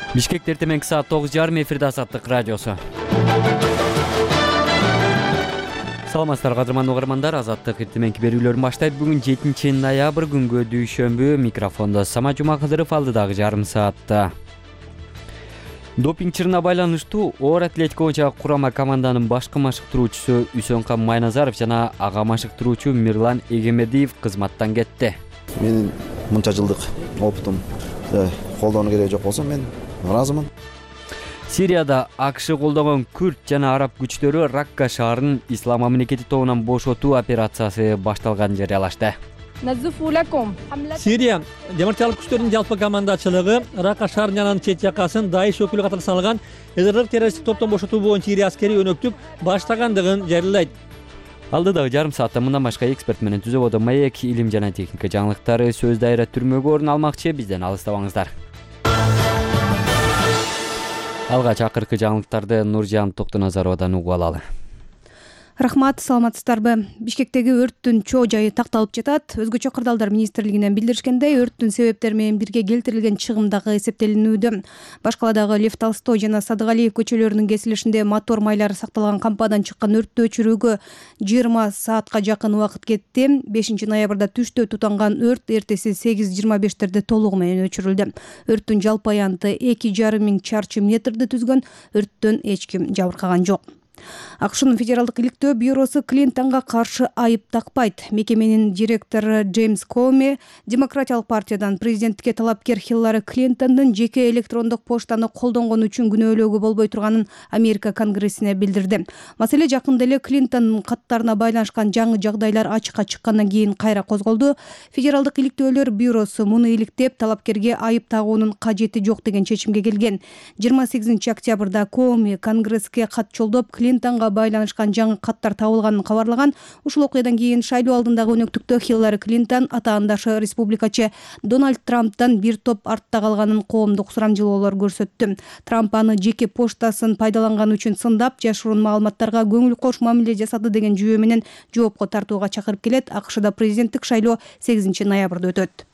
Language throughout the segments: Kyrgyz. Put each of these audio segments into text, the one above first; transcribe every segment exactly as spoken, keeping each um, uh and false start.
Бишкекте эртең саат тогуз жарым эфирде Азаттык радиосу. Саламатсыздар кадырман угармандар, Азаттык эртеңки берүүлөрүн баштайт. Бүгүн жетинчи ноябрь күнгө дүйшөмбү. Микрофондо Сама Жумакадыров алдыдагы жарым саатта. Допинг чырына байланыштуу оор атлетика боюнча курама команданын башкы машыктыруучусу Үсөнкан Майназаров жана ага машыктыруучу Мирлан Эгемедиев кызматтан кетти. Менин мынча жылдык опытым колдонуу кереги жок болсо мен ыраазымын. Сирияда АКШ колдогон күрд жана араб күчтөрү Ракка шаарынын Ислам мамлекети тобунан бошотуу операциясы башталганын жарыялашты. Сирия демократиялык күчтөрдүн жалпы командачылыгы Ракка шаарынын жанагы чет жакасын Даиш өкүлү катары саналган эсрдик террористтик топтон бошотуу боюнча ири аскерий өнөктүк баштагандыгын жарыялайт. Алдыдагы жарым саатта мындан башка эксперт менен Түзө Бодо Маек илим жана техника жаңылыктары сөз дайра түрмөгө орун алмакчы. Бизден алыстабаңыздар. Алгач акыркы жаңылыктарды Нуржан Токтоназаровадан угуп алалы. Рахмат, саламатсыздарбы? Бишкектеги өрттүн чоо жайы такталып жатат. Өзгөчө кырдаалдар министрлигинен билдиришкендей, өрттүн себептери менен бирге келтирилген чыгым дагы эсептелинүүдө. Баш каладагы Лев Толстой жана Садыгалиев көчөлөрүнүн кесилишинде мотор майлары сакталган кампадан чыккан өрттү өчүрүүгө жыйырма саатка жакын убакыт кетти. бешинчи ноябрда түштө тутанган өрт эртеси сегиз жыйырма бештерде толугу менен өчүрүлдү. Өрттүн жалпы аянты эки жарым миң чарчы метрди түзгөн. Өрттөн эч ким жабыркаган жок. АКШнын федералдык иликтөө бюросу Клинтонго каршы айып такпайт. Мекеменин директору Джеймс Коми Демократиялык партиядан президенттикке талапкер Хиллари Клинтондун жеке электрондук поштаны колдонгон үчүн күнөөлөөгө болбой турганын Америка Конгрессине билдирди. Маселе жакында эле Клинтондун каттарына байланышкан жаңы жагдайлар ачыкка чыккандан кийин кайра козголду. Федералдык иликтөөлөр бюросу муну иликтеп, талапкерге айып тагуунун кажети жок деген чечимге келген. жыйырма сегизинчи октябрда Коми Конгресске кат жолдоп, Клинтонго байланышкан жаңы каттар табылганын кабарлаган. Ушул окуядан кийин шайлоо алдындагы өнөктүктө Хиллари Клинтон атаандашы республикачы Дональд Трамптан бир топ артта калганын коомдук сурамжылоолор көрсөттү. Трамп аны жеке поштасын пайдаланганы үчүн сындап, жашыруун маалыматтарга көңүл кош мамиле жасады деген жүйө менен жоопко тартууга чакырып келет. АКШда президенттик шайлоо сегизинчи ноябрда өтөт.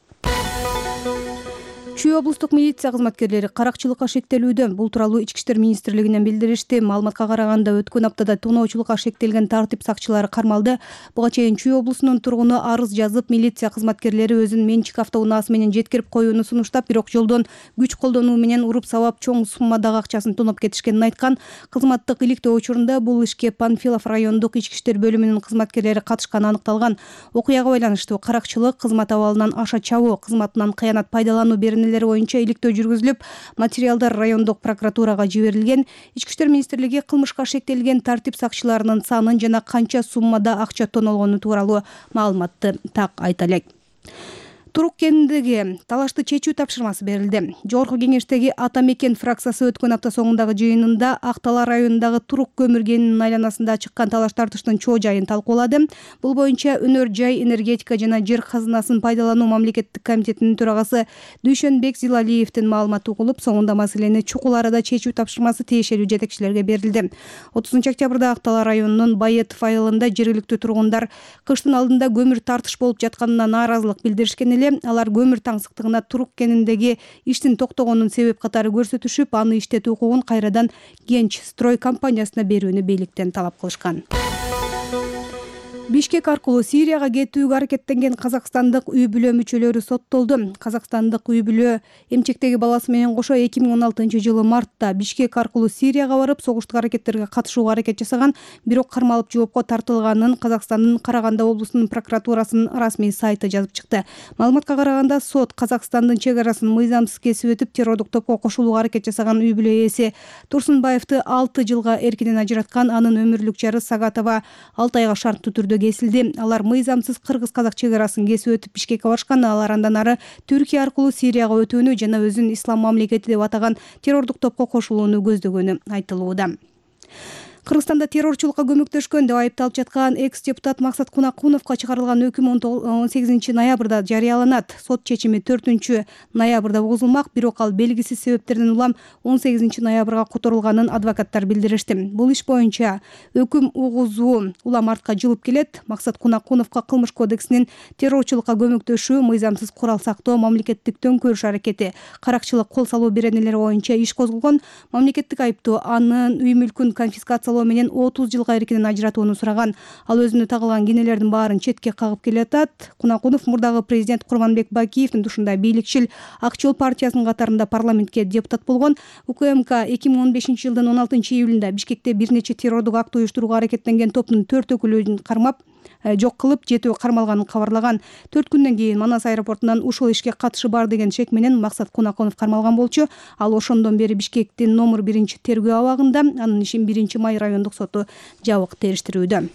Чүй облустук милиция кызматкерлери каракчылыкка шектелүүдө. Бул тууралуу Ички иштер министрлигинен билдиришти. Маалыматка караганда, өткөн аптада тоноочулукка шектелген тартип сакчылары кармалды. Буга чейин Чүй облусунун тургуну арыз жазып, милиция кызматкерлери өзүнүн менчик автоунаасы менен жеткирип коюуну сунуштап, бирок жолдон күч колдонуу менен уруп сабап чоң суммадагы акчасын тоноп кетишкенин айткан. Кызматтык иликтөө учурунда бул ишке Панфилов райондук ички иштер бөлүмүнүн кызматкерлери катышканы аныкталган. Окуяга байланыштуу каракчылык, кызмат абалынан аша чабуу, кызматынан кыянат пайдалануу беренелери боюнча иликтөө жүргүзүлүп, материалдар райондук прокуратурага жиберилген. Ички иштер министрлиги кылмышка шектелген тартип сакчыларынын санын жана канча суммада акча тонолгону тууралуу маалыматты так айта элек. Турук кенидеги талашты чечүү тапшырмасы берилди. Жогорку кеңештеги Ата Мекен фракциясы өткөн апта соңундагы жыйынында Актала районундагы Турук көмүр кенинин айланасында чыккан талаш тартыштын чоо жайын талкуулады. Бул боюнча Өнөр жай, энергетика жана жер казынасын пайдалануу мамлекеттик комитетинин төрагасы Дүйшөнбек Зилалиевдин маалыматы угулуп, соңунда маселени чукул арада чечүү тапшырмасы тиешелүү жетекчилерге берилди. отузунчу октябрда Актала районунун Байетов айылында жергиликтүү тургундар кыштын алдында көмүр тартыш болуп жатканына нааразылык билдиришкен эле. Алар көмүр таңсыктыгына Турук кениндеги иштин токтогонун себеп катары көрсөтүшүп, аны иштетүү укугун кайрадан Генч строй компаниясына берүүнү бийликтен талап кылышкан. Бишкек аркылуу Сирияга кетүүгө аракеттенген казакстандык үй бүлө мүчөлөрү соттолду. Казакстандык үй бүлө эмчектеги баласы менен кошо эки миң он алтынчы жылы мартта Бишкек аркылуу Сирияга барып, согуштук аракеттерге катышууга аракет жасаган, бирок кармалып жоопко тартылганын Казакстандын Караганда облусунун прокуратурасынын расмий сайты жазып чыкты. Маалыматка караганда, сот Казакстандын чек арасын мыйзамсыз кесип өтүп, террордук топко кошулууга аракет жасаган үй бүлө ээси Турсунбаевди алты жылга эркинен ажыраткан. Анын өмүрлүк жары Сагатова алты айга шарттуу түрдө кесилди. Алар мыйзамсыз кыргыз-казак чек арасын кесип өтүп Бишкекке барышкан. Алар андан ары Түркия аркылуу Сирияга өтүүнү жана өзүн Ислам мамлекети деп атаган террордук топко кошулууну көздөгөнү айтылууда. Кыргызстанда террорчулукка көмөктөшкөн деп айыпталып жаткан экс депутат Максат Кунакуновго чыгарылган өкүм он сегизинчи ноябрда жарыяланат. Сот чечими төртүнчү ноябрда угузулмак, бирок ал белгисиз себептерден улам он сегизинчи ноябрга которулганын адвокаттар билдиришти. Бул иш боюнча өкүм угузуу улам артка жылып келет. Максат Кунакуновго Кылмыш кодексинин террорчулукка көмөктөшүү, мыйзамсыз курал сактоо, мамлекеттик төңкөрүш аракети, каракчылык кол салуу беренелери боюнча иш козголгон. Мамлекеттик айыптуу анын үй мүлкүн конфискациялоо менен отуз жылга эркинен ажыратууну сураган. Ал өзүнө тагылган кенелердин баарын четке кагып келатат. Кунакунов мурдагы президент Курманбек Бакиевдин ушундай бийликчил ак жол партиясынын катарында парламентке депутат болгон. УКМК эки миң он бешинчи жылдын он алтынчы июлунда Бишкекте бир нече террордук акт уюштурууга аракеттенген топтун төрт өкүлүн кармап, жок кылып, жетөө кармалганын кабарлаган. төрт күндөн кийин Манас аэропортунан ушул ишке катышы бар деген шек менен Максат Кунакунов кармалган болчу. Ал ошондон бери Бишкектин номер биринчи тергөө абагында. Анын ишин биринчи май райондук соту жабык териштирүүдө.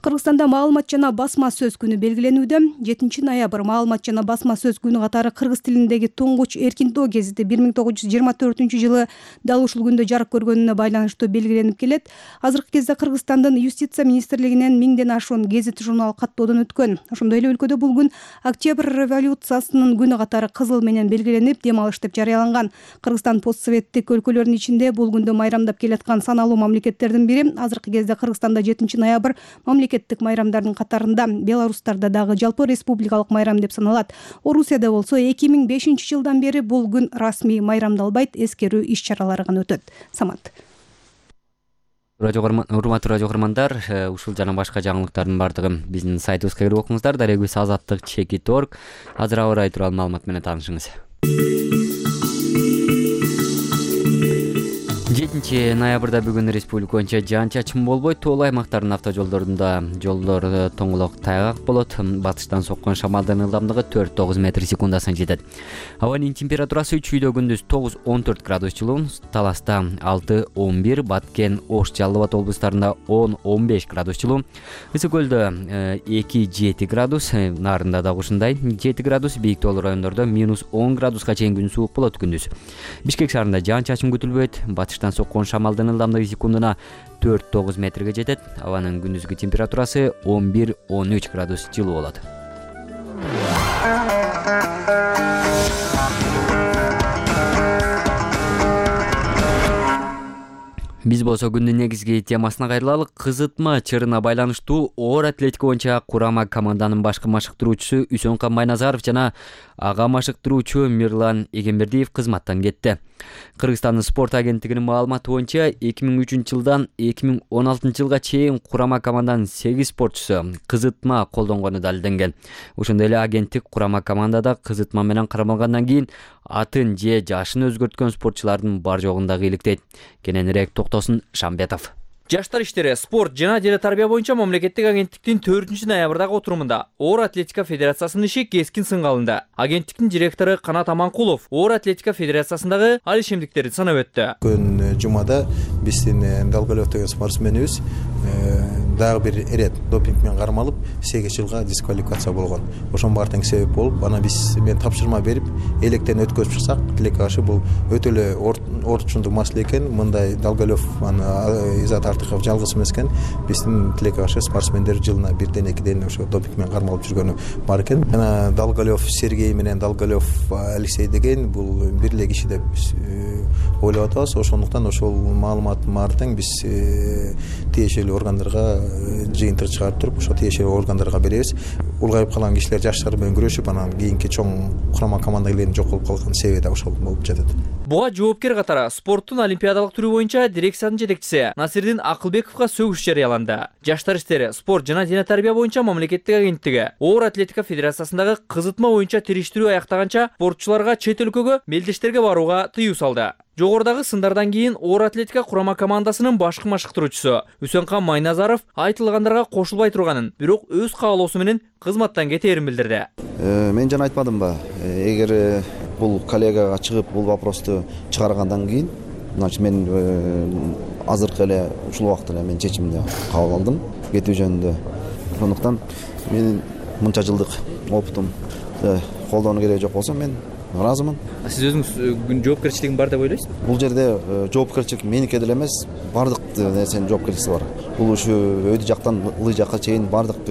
Кыргызстанда маалымат жана басма сөз күнү белгиленүүдө. жетинчи ноябрь маалымат жана басма сөз күнү катары кыргыз тилиндеги туңгуч эркиндөө гезити бир миң тогуз жүз жыйырма төртүнчү жылы дал ушул күндө жарык көргөнүнө байланыштуу белгиленип келет. Азыркы кезде Кыргызстандын юстиция министрлигинен миңден ашуун гезит журнал каттоодон өткөн. Ошондой эле өлкөдө бул күн Октябрь революциясынын күнү катары кызыл менен белгиленип, дем алыш деп жарыяланган. Кыргызстан постсоветтик өлкөлөрдүн ичинде бул күндө майрамдап келаткан саналуу мамлекеттердин бири. Азыркы кезде Кыргызстанда жетинчи ноябрь мамлекеттик майрамдардын катарында, Беларустарда дагы жалпы республикалык майрам деп саналат. Орусияда болсо эки миң бешинчи жылдан бери бул күн расмий майрамдалбайт, эскерүү иш-чаралары гана өтөт. Самат. Урматтуу радио көрөрмандар, ушул жана башка жаңылыктардын бардыгын биздин сайтыбызга кирип окуңуздар. Дарегибиз азаттык чекит точка орг. Азыр аба ырайы тууралуу маалымат менен таанышыңыз. жетинчи ноябрда бүгүн республика боюнча жаан-чачын болбойт. Тоол аймактардын автожолдорунда жолдор тоңолок тайгак болот. Батыштан соккон шамалдын ылдамдыгы төрт тогуз метр секундасына жетет. Абанын температурасы чүйдө күндүз тогуз он төрт градус жылуу, Таласта алты он бир, Баткен, Ош, Жалал Абад облустарында он он беш градус жылуу, Ысык көлдө эки жети градус, Нарында дагы ушундай жети градус, бийик тоолуу райондордо минус он градуска чейин күн суук болот күндүз. Бишкек шаарында жаан-чачын күтүлбөйт. Батыштан соккон шамалдын ылдамдыгы секундуна төрт тогуз метрге жетет. Абанын күндүзгү температурасы он бир он үч градус жылуу болот. Биз болсо күндүн негизги темасына кайрылалы. Кызытма чырына байланыштуу оор атлетика боюнча курама команданын башкы машыктыруучусу Үсөнкан Майназаров жана ага машыктыруучу Мирлан Эгембердиев кызматтан кетти. Кыргызстандын спорт агенттигинин маалыматы боюнча эки миң үчүнчү жылдан эки миң он алтынчы жылга чейин курама команданын сегиз спортчусу кызытма колдонгону далилденген. Ошондой эле агенттик курама командада кызытма менен кармалгандан кийин атын же жашын өзгөрткөн спортчулардын бар жогун дагы иликтейт. Кененирээк токтосун Шамбетов. Жаштар иштери, спорт жана дене тарбия боюнча мамлекеттик агенттиктин төртүнчү ноябрдагы отурумунда оор атлетика федерациясынын иши кескин сынга алынды. Агенттиктин директору Канат Аманкулов оор атлетика федерациясындагы ал ишемдиктерди санап өттү. Күн жумада биздин Далгалев деген спортсменибиз дагы бир ирет допинг менен кармалып сегиз жылга дисквалификация болгон. Ошонун баары тең себеп болуп, ана биз мен тапшырма берип, электен өткөзүп чыксак, тилекке каршы бул өтө эле орточундук маселе экен. Мындай Далгалев аны Изат Артыков жалгыз эмес экен. Биздин тилекке каршы спортсмендер жылына бирден экиден ошо допинг менен кармалып жүргөнү бар экен. Жана Далгалев Сергей менен Далгалев Алексей деген бул бир эле киши деп ойлоп атабыз. Ошондуктан ошол маалыматтын баары тең биз тиешелүү органдарга жыйынтык чыгарып туруп, ошо тиешелүү органдарга беребиз. Улгайып калган кишилер жаштар менен күрөшүп, анан кийинки чоң курама команда келгенде жок болуп калган себеби да ошол болуп жатат. Буга жоопкер катары спорттун олимпиадалык түрү боюнча дирекциянын жетекчиси Насирдин Акылбековго сөгүш жарыяланды. Жаштар иштери, спорт жана дене тарбия боюнча мамлекеттик агенттиги оор атлетика федерациясындагы кызытма боюнча териштирүү аяктаганча спортчуларга чет өлкөгө, мелдештерге барууга тыюу салды. Жогорудагы сындардан кийин оор атлетика курама командасынын башкы машыктыруучусу Үсөнкан Майназаров айтылгандарга кошулбай турганын, бирок өз каалоосу менен кызматтан кетээрин билдирди. Мен жана айтпадымбы, эгер бул коллегага чыгып бул вопросту чыгаргандан кийин, значит мен азыркы эле ушул убакытта эле мен чечимди кабыл алдым кетүү жөнүндө. Ошондуктан менин мынча жылдык опытым колдонуу кереги жок болсо мен ыраазымын. Сиз өзүңүз жоопкерчилигиң бар деп ойлойсузбу? Бул жерде жоопкерчилик меники деле эмес, бардык нерсенин жоопкерчилиги бар. Бул ушу өйдү жактан ылый жакка чейин бардык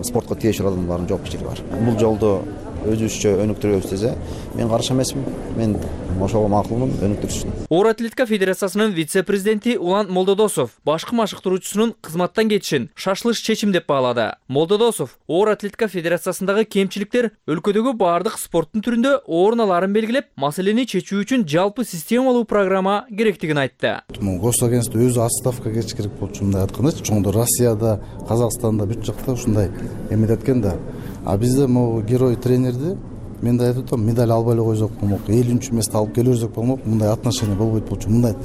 спортко тиешелүү адамдардын жоопкерчилиги бар. Бул жолдо өзүбүзчө өнүктүрөбүз десе, мен каршы эмесмин. Мен ошого макулмун, өнүктүрүшүн. Оор атлетика федерациясынын вице-президенти Улан Молдодосов башкы машыктыруучусунун кызматтан кетишин шашылыш чечим деп баалады. Молдодосов оор атлетика федерациясындагы кемчиликтер өлкөдөгү бардык спорттун түрүндө орун аларын белгилеп, маселени чечүү үчүн жалпы системалуу программа керектигин айтты. Госагентство өзү отставка кетиш керек болчу, мындай айтканда, чоңдо Россияда, Казакстанда бүт жакта ушундай эмет эткен да. А бизде могу герой тренерди мен да айтып атам, медаль албай эле койсок болмок, элүүнчү месте алып келе берсек болмок, мындай отношение болбойт болчу, мындай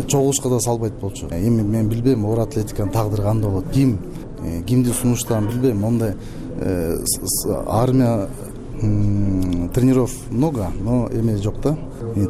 чогулушка да салбайт болчу. Эми мен билбейм, оор атлетиканын тагдыры кандай болот, ким кимди сунуштаган билбейм. Мондай армия тренеров много, но эме жок да.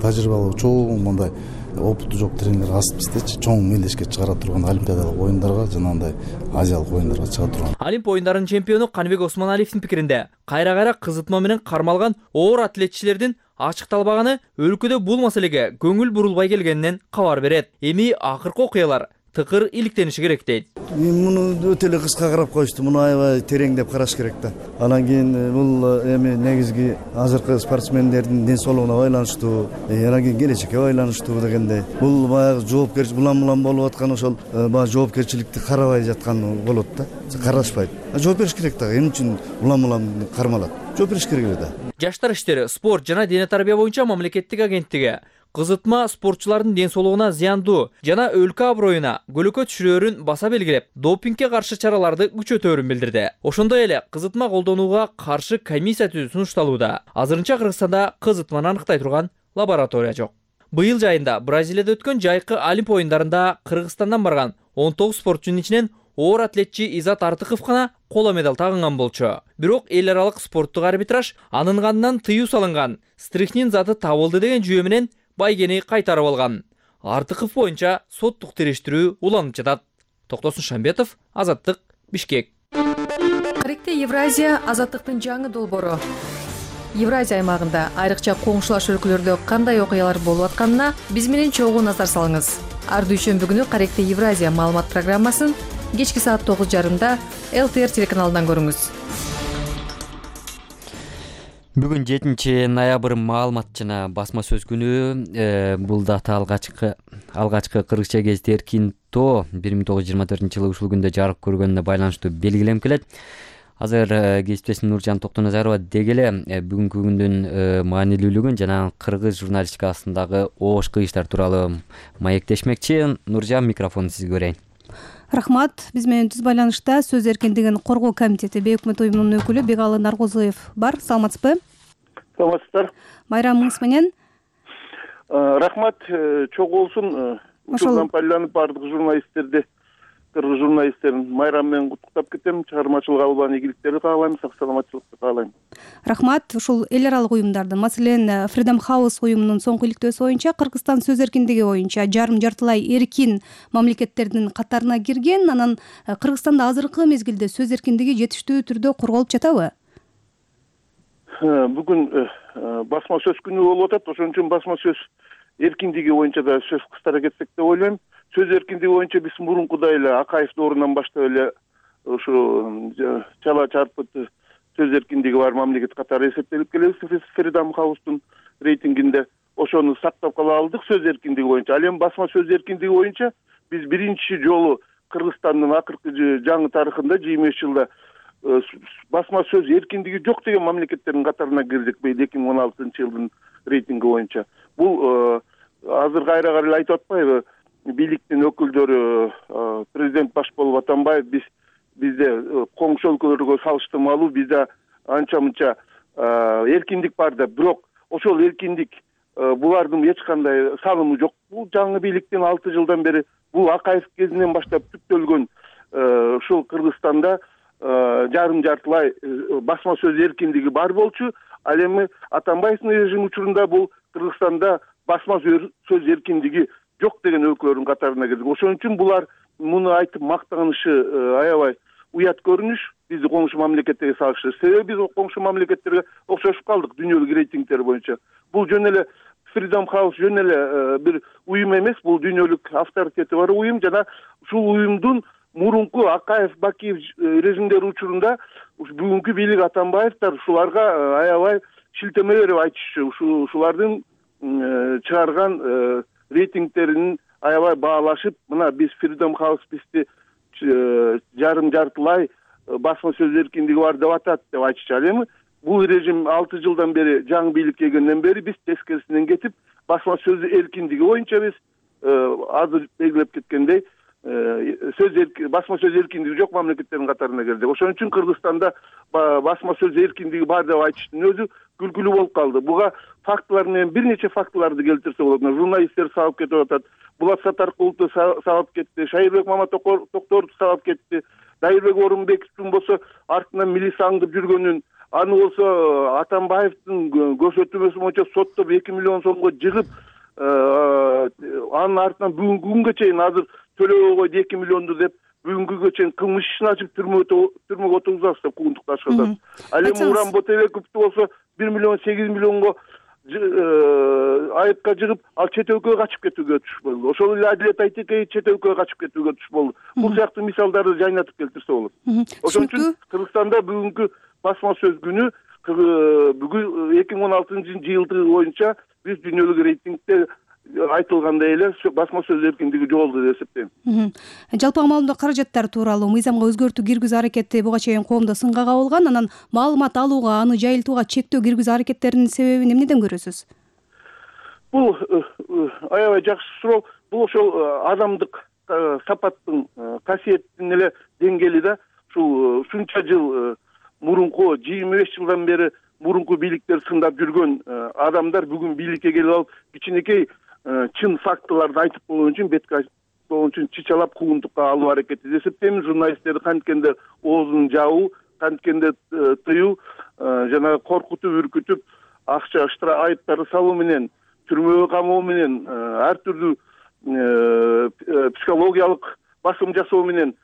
Тажрыйбалуу чоң мондай опыты жок тренер аз биздечи, чоң мелдешке чыгара турган олимпиадалык оюндарга жана андай азиялык оюндарга чыга турган. Олимп оюндарынын чемпиону Каныбек Осмоналиевдин пикиринде, кайра-кайра кызытма менен кармалган оор атлетчилердин ачыкталбаганы өлкөдө бул маселеге көңүл бурулбай келгенинен кабар берет. Эми акыркы окуялар тыкыр иликтениши керек дейт. Мен муну өтө эле кыска карап коюштум. Муну аябай тереңдеп караш керек да. Анан кийин бул эми негизги азыркы спортсмендердин ден соолугуна байланыштуу, анан кийин келечекке байланыштуу дегендей. Бул баягы жоопкерчилик улам-улам болуп аткан ошол баягы жоопкерчиликти карабай жаткан болот да. Карашпайт. Жооп бериш керек да. Эмне үчүн улам-улам кармалат? Жооп бериш керек эле да. Жаштар иштери, спорт жана дене тарбия боюнча мамлекеттик агенттиги кызытма спортчулардын ден соолугуна зыяндуу жана өлкө аброюна көлөкө түшүрөөрүн баса белгилеп, допингге каршы чараларды күчөтөөрүн билдирди. Ошондой эле кызытма колдонууга каршы комиссия түзүү сунушталууда. Азырынча Кыргызстанда кызытманы аныктай турган лаборатория жок. Быйыл жайында Бразилияда өткөн жайкы Олимп оюндарында Кыргызстандан барган он тогуз спортчунун ичинен оор атлетчи Изат Артыков гана коло медаль тагынган болчу. Бирок эл аралык спорттук арбитраж анын кандынан тыюу салынган стрихнин заты табылды деген жүйө менен байгени кайтарып алган. Артыков боюнча соттук териштирүү уланып жатат. Токтосун Шамбетов, Азаттык, Бишкек. Каректе Евразия азаттыктын жаңы долбоору. Евразия аймагында айрыкча коңшулаш өлкөлөрдө кандай окуялар болуп атканына биз менен чогуу назар салыңыз. Ар дүйшөмбү күнү Каректе Евразия маалымат программасын кечки саат тогуз жарымда эл тэ эр телеканалынан көрүңүз. Бүгүн жетинчи ноябрь маалымат жана басма сөз күнү. Бул дата алгачкы алгачкы кыргызча гезит Эркин тоо бир миң тогуз жүз жыйырма төртүнчү жылы ушул күндө жарык көргөнүнө байланыштуу белгиленип келет. Азыр кесиптешим Нуржан Токтоназарова деги эле бүгүнкү күндүн маанилүүлүгүн жана кыргыз журналистикасындагы оош кыйыштар тууралуу маектешмекчи. Нуржан, микрофонду сизге берейин. Рахмат. Биз менен түз байланышта Сөз эркиндигин коргоо комитети бейөкмөт уюмунун өкүлү Бегалы Наргозуев бар. Саламатсызбы? Саламатсыздар. Майрам Мыңыз менен. Рахмат, чогуу болсун. Ушулдан пайдаланып бардык журналисттерди, кыргыз журналисттерин майрам менен куттуктап кетем. Чыгармачылык албан ийгиликтерди каалайм, сак саламатчылыкты каалайм. Рахмат. Ушул эл аралык уюмдардын, маселен, Freedom House уюмунун соңку иликтөөсү боюнча Кыргызстан сөз эркиндиги боюнча жарым жартылай эркин мамлекеттердин катарына кирген. Анан Кыргызстанда азыркы мезгилде сөз эркиндиги жетиштүү түрдө корголуп жатабы? Бүгүн басма сөз күнү болуп атат. Ошон үчүн басма сөз эркиндиги боюнча да сөз кыстара кетсек деп ойлойм. Сөз эркиндиги боюнча биз мурункудай эле Акаев доорунан баштап эле ушу чала чарпыт сөз эркиндиги бар мамлекет катары эсептелип келебиз. Freedom House'тун рейтингинде ошону сактап кала алдык сөз эркиндиги боюнча. Ал эми басма сөз эркиндиги боюнча биз биринчи жолу Кыргызстандын акыркы жаңы тарыхында жыйырма беш жылда басма сөз эркиндиги жок деген мамлекеттердин катарына кирдик быйыл эки миң он алтынчы жылдын рейтинги боюнча. Бул азыр кайра кайра айтып атпайбы, бийликтин өкүлдөрү президент баш болуп атанбайбы, биз бизде коңшу өлкөлөргө салыштырмалуу бизде анча мынча эркиндик бар да, бирок ошол эркиндик булардын эч кандай салымы жок. Бул жаңы бийликтин алты жылдан бери, бул Акаев кезинен баштап түптөлгөн ушул Кыргызстанда жарым жартылай басма сөз эркиндиги бар болчу. Ал эми Атамбаевдин режими учурунда бул Кыргызстанда басма сөз эркиндиги жок деген өлкөлөрдүн катарына кирдик. Ошон үчүн булар муну айтып мактанышы аябай уят көрүнүш. бизди коңшу мамлекеттерге салыштырып. Себеби биз коңшу мамлекеттерге окшошуп калдык дүйнөлүк рейтингдер боюнча. Бул жөн эле Freedom House жөн эле бир уюм эмес, бул дүйнөлүк авторитети бар уюм жана ушул уюмдун мурунку Акаев, Бакиев режимдери учурунда бүгүнкү бийлик Атамбаевдер ушуларга аябай шилтеме берип айтышчу. Ушулардын чыгарган рейтингтерин аябай баалашып, мына биз Freedom House бизди жарым жартылай басма сөз эркиндиги бар деп атат деп айтышчу. Ал эми бул режим алты жылдан бери жаңы бийликке келгенден бери биз тескерисинен кетип, басма сөз эркиндиги боюнча биз азыр белгилеп кеткендей сөз басма сөз эркиндиги жок мамлекеттердин катарына кирдик. Ошон үчүн Кыргызстанда басма сөз эркиндиги бар деп айтыштын өзү күлкүлүү болуп калды. Буга фактылар менен бир нече фактыларды келтирсе болот. Журналисттер сабап кетип атат. Булат Сатаркуловду сабап кетти, Шайырбек Маматокторду сабап кетти, Дайырбек Орунбековдун болсо артынан милиция аңдып жүргөнүн, аны болсо Атамбаевдин көрсөтмөсү боюнча соттоп эки миллион сомго жыгып, анын артынан бүгүнкү күнгө чейин азыр төлөбөй койду эки миллионду деп бүгүнкү күнгө чейин кылмыш ишин ачып түрмөгө отургузабыз деп куугунтукташып атат. Ал эми Уран Ботебековду болсо бир миллион сегиз миллионго айыпка жыгып, ал чет өлкөгө качып кетүүгө туш болду. Ошол эле Адилет Айтекеев чет өлкөгө качып кетүүгө туш болду. Бул сыяктуу мисалдарды жайнатып келтирсе болот. Ошон үчүн Кыргызстанда бүгүнкү басма сөз күнү бүгүн эки миң он алтынчы жылдыгы боюнча биз дүйнөлүк рейтингде айтылгандай эле басма сөз эркиндиги жоготулду деп эсептейм. Жалпы маалымат каражаттары тууралуу мыйзамга өзгөртүү киргизүү аракети буга чейин коомдо сынга кабылган. Анан маалымат алууга, аны жайылтууга чектөө киргизүү аракеттеринин себебин эмнеден көрөсүз? Бул аябай жакшы суроо. Бул ошол адамдык сапаттын касиеттин эле деңгээли да. Ушул ушунча жыл мурунку жыйырма беш жылдан бери мурунку бийликтер сындап жүргөн адамдар бүгүн бийликке келип алып кичинекей чын фактыларды айтып койгон үчүн бетке койгон үчүн чычалап куугунтукка алуу аракети деп эсептейм. Журналисттерди канткенде оозун жабуу, канткенде тыюу жана коркутуп, үркүтүп, акча штраф айыптарды салуу менен, түрмөгө камоо менен, ар түрдүү психологиялык басым жасоо менен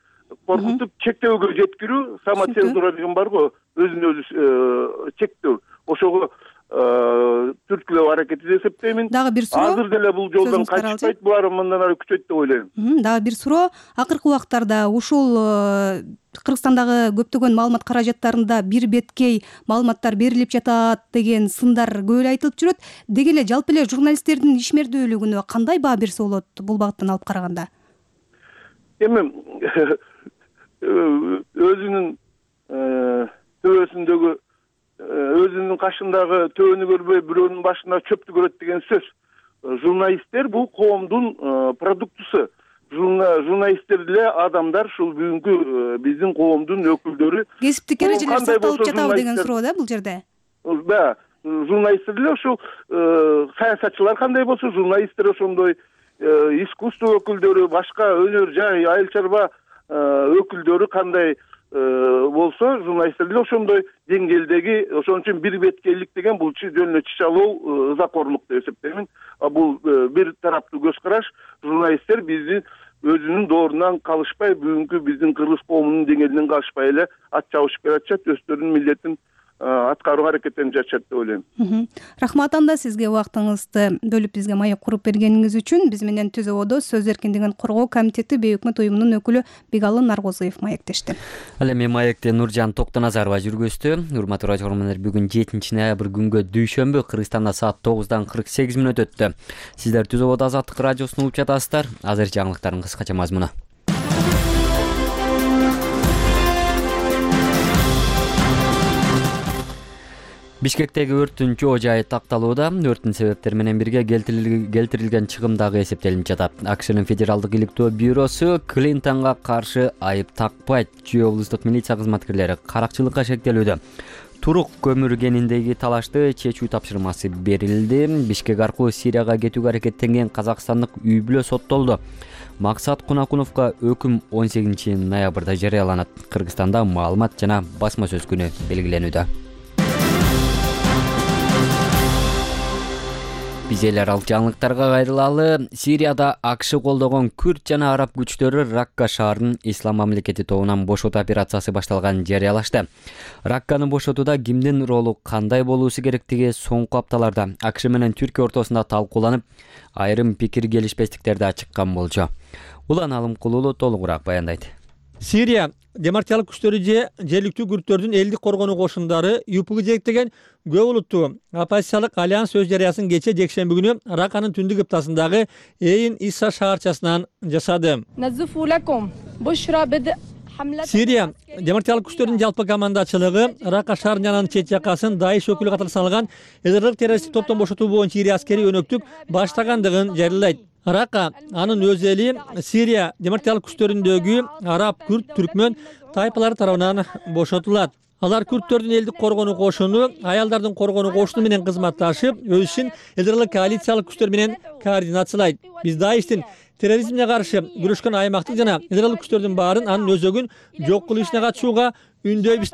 коркутуп чектөөгө жеткирүү, самоцензура деген бар го, өзүн өзү чектөө. Ошого түрткүлөө аракети деп эсептеймин. Дагы бир суроо. Азыр деле бул жолдон качпайт, булар мындан ары күчөйт деп ойлойм. Дагы бир суроо. Акыркы убактарда ушул Кыргызстандагы көптөгөн маалымат каражаттарында бир беткей маалыматтар берилип жатат деген сындар көп эле айтылып жүрөт. Деги эле жалпы эле журналисттердин ишмердүүлүгүнө кандай баа берсе болот бул багыттан алып караганда? Эми өзүнүн төбөсүндөгү өзүнүн кашындагы төбөнү көрбөй бирөөнүн башына чөптү көрөт деген сөз. Журналисттер бул коомдун продуктусу. Журналисттер деле адамдар, ушул бүгүнкү биздин коомдун өкүлдөрү. Кесиптик эрежелер сакталып жатабы деген суроо да бул жерде. Да, журналисттер деле ушул саясатчылар кандай болсо, журналисттер ошондой, искусство өкүлдөрү, башка өнөр жай, айыл чарба өкүлдөрү кандай болсо, журналисттер деле ошондой деңгээлдеги. Ошон үчүн бир беткейлик деген бул жөн эле чычалоо, ызакорлук деп эсептеймин. Бул бир тараптуу көз караш. Журналисттер биздин өзүнүн доорунан калышпай, бүгүнкү биздин кыргыз коомунун деңгээлинен калышпай эле ат чабышып келатышат, өздөрүнүн милдетин аткарууга аракеттенип жатышат деп ойлойм. Рахмат анда сизге убактыңызды бөлүп бизге маек куруп бергениңиз үчүн. Биз менен Түз абада сөз эркиндигин коргоо комитети бейөкмөт уюмунун өкүлү Бегалы Наргозуев маектешти. Ал эми маекти Нуржан Токтоназарова жүргүздү. Урматтуу радио көрөрмандар, бүгүн жетинчи ноябрь күнгө дүйшөмбү, Кыргызстанда саат тогуздан кырк сегиз мүнөт өттү. Сиздер Түз абада Азаттык радиосун угуп жатасыздар. Азыр жаңылыктардын кыскача мазмуну. Бишкектеги өрттүн жоо жайы такталууда. Өрттүн себептери менен бирге келтирилген чыгым дагы эсептелип жатат. АКШнын федералдык иликтөө бюросу Клинтонго каршы айып такпайт. Чүй облустук милиция кызматкерлери каракчылыкка шектелүүдө. Турук көмүр кениндеги талашты чечүү тапшырмасы берилди. Бишкек аркылуу Сирияга кетүүгө аракеттенген казакстандык үй бүлө соттолду. Максат Кунакуновго өкүм он сегизинчи ноябрда жарыяланат. Кыргызстанда маалымат жана басма сөз күнү белгиленүүдө. Биз эл аралык жаңылыктарга кайрылалы. Сирияда АКШ колдогон күрд жана араб күчтөрү Ракка шаарын ислам мамлекети тобунан бошотуу операциясы башталганын жарыялашты. Ракканы бошотууда кимдин ролу кандай болуусу керектиги соңку апталарда АКШ менен Түркия ортосунда талкууланып, айрым пикир келишпестиктерди ачыккан болчу. Улан Алымкулуулу толугураак баяндайт. Сирия демократиялык күчтөрү же жергиликтүү күрдтөрдүн элдик коргонуу кошундары ЮПГ жетектеген көп улуттуу оппозициялык альянс өз жарыясын кечээ жекшемби күнү Ракканын түндүк ыптасындагы Эйн Исса шаарчасынан жасады. Сирия демократиялык күчтөрдүн жалпы командачылыгы Ракка шаарынын жанагы чет жакасын Даиш өкүлү катары саналган эдерлик террористтик топтон бошотуу боюнча ири аскерий өнөктүк баштагандыгын жарыялайт. Ракка анын өз эли Сирия демократиялык күчтөрүндөгү араб, күрд, түркмөн тайпалары тарабынан бошотулат. Алар күрдтөрдүн элдик коргонуу кошуну, аялдардын коргонуу кошуну менен кызматташып, өз ишин элдик коалициялык күчтөр менен координациялайт. Биз Даиштин терроризмге каршы күрөшкөн аймактык жана элдик күчтөрдүн баарын анын өзөгүн жок кылуу ишине катышууга үндөйбүз,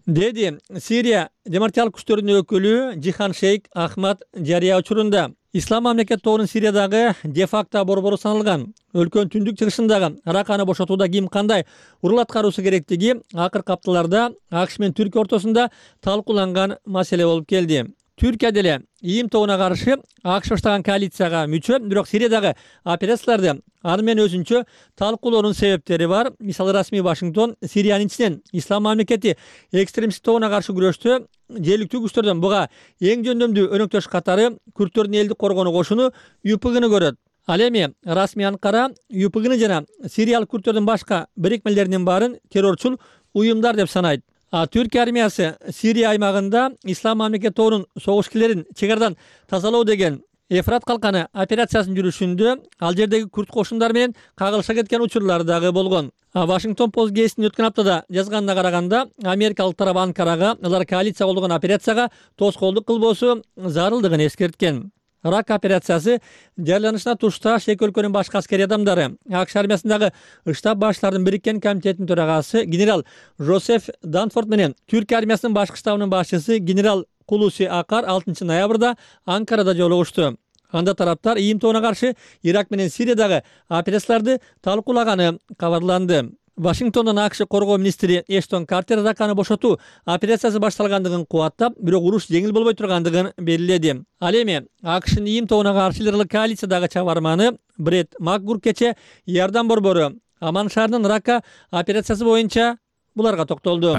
деди Сирия демократиялык күчтөрүнүн өкүлү Жихан Шейк Ахмад жарыя учурунда. Ислам мамлекет тобунун Сириядагы де-факто борбору саналган. Өлкөнүн түндүк чыгышындагы Ракканы бошотууда ким кандай урул аткаруусу керектиги акыркы апталарда АКШ менен Түркия ортосунда талкууланган маселе болуп келди. Түркия деле ИИМ тобуна каршы АКШ баштаган коалицияга мүчө, бирок Сириядагы операцияларды аны менен өзүнчө талкуулоонун себептери бар. Мисалы, расмий Вашингтон Сириянын ичинен ислам мамлекети экстремисттик тобуна каршы күрөштө жергиликтүү күчтөрдөн буга эң жөндөмдүү өнөктөш катары күрдтөрдүн элдик коргонуу кошуну ЮПГны көрөт. Ал эми расмий Анкара ЮПГны жана сириялык күрдтөрдүн башка бирикмелеринин баарын террорчул уюмдар деп санайт. А Түркия армиясы Сирия аймагында ислам мамлекет тобунун согушкерлерин чек арадан тазалоо деген Эфрат калканы операциясын жүрүшүндө ал жердеги күрд кошундары менен кагылыша кеткен учурлар дагы болгон. Вашингтон Пост гезитинин өткөн аптада жазганына караганда, америкалык тарап Анкарага алар коалиция колдогон операцияга тоскоолдук кылбоосу зарылдыгын эскерткен. Ракка операциясы жарыяланышына тушташ эки өлкөнүн башкы аскерий адамдары, АКШ армиясындагы штаб башчыларынын бириккен комитетинин төрагасы генерал Жозеф Данфорд менен Түркия армиясынын башкы штабынын башчысы генерал Кулуси Акар алтынчы ноябрда Анкарада жолугушту. Анда тараптар ИИМ тобуна каршы Ирак менен Сириядагы операцияларды талкуулаганы кабарланды. Вашингтондон АКШ коргоо министри Эштон Картер Ракканы бошотуу операциясы башталгандыгын кубаттап, бирок уруш жеңил болбой тургандыгын белгиледи. Ал эми АКШнын ИИМ тобуна каршы элдик коалициядагы чабарманы Бред Макгур кече Иордан борбору Аман шаарынын Ракка операциясы боюнча буларга токтолду.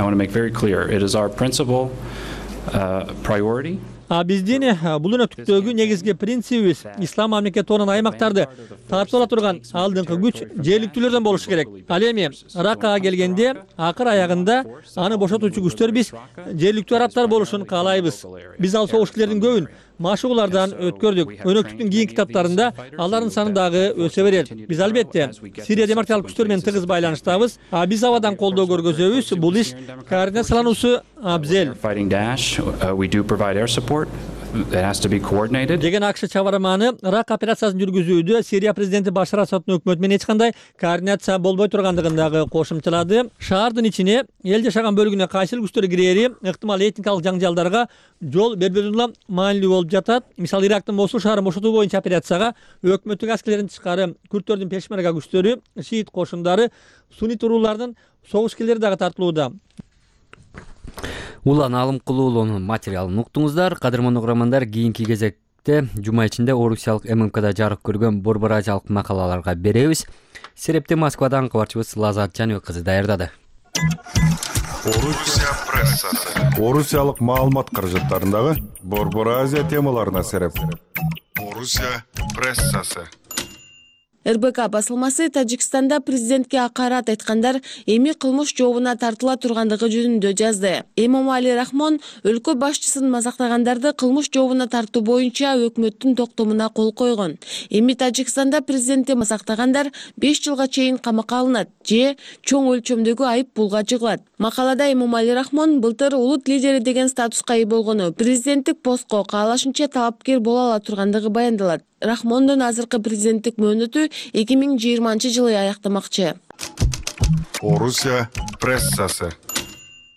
А биздин бул өнөктүктөгү негизги принцибибиз ислам мамлекет тобунан аймактарды тартып ала турган алдыңкы күч жергиликтүүлөрдөн болушу керек. Ал эми Раккага келгенде акыр аягында аны бошотуучу күчтөр биз жергиликтүү арабтар болушун каалайбыз. Биз ал согушкерлердин көбүн машыгуулардан өткөрдүк. Өнөктүктүн кийинки китаптарында алардын саны дагы өсө берет. Биз албетте Сирия демократиялык күчтөр менен тыгыз байланыштабыз. А биз абадан колдоо көргөзөбүз. Бул иш координациялануусу абзел. Деген АКШ чабарманы Ракка операциясын жүргүзүүдө Сирия президенти Башар Асаддын өкмөтү менен эч кандай координация болбой тургандыгын дагы кошумчалады. Шаардын ичине эл жашаган бөлүгүнө кайсыл күчтөр кирери ыктымал этникалык жаңжалдарга жол бербөөнү маанилүү болуп жатат. Мисалы, Ирактын Мосул шаарын бошотуу боюнча операцияга өкмөттүк аскерлердин тышкары күрдтөрдүн пешмерга күчтөрү, шиит кошундары, суннит уруулардын согушкерлери дагы тартылууда. Улан Алымкулуулунун материалын уктуңуздар. Кадырман угармандар, кийинки кезекте жума ичинде Орусиялык ММКда жарык көргөн борбор ажалык макалаларга беребиз. Серепти Москвадан кабарчыбыз Лазат Жаныбек кызы даярдады. Орусия прессасы. Орусиялык маалымат каражаттарындагы борбор Азия темаларына сереп. Орусия прессасы. эр бэ ка басылмасы Тажикстанда президентке акарат айткандар эми кылмыш жообуна тартыла тургандыгы жөнүндө жазды. Эмомали Рахмон өлкө башчысын мазактагандарды кылмыш жообуна тартуу боюнча өкмөттүн токтомуна кол койгон. Эми Тажикстанда президентти мазактагандар беш жылга чейин камакка алынат же чоң өлчөмдөгү айып пулга жыгылат. Макалада Эмомали Рахмон былтыр улут лидери деген статуска ээ болгону, президенттик постко каалашынча талапкер боло ала тургандыгы баяндалат. Рахмондун азыркы президенттик мөөнөтү эки миң жыйырманчы жылы аяктамакчы. Орусия прессасы.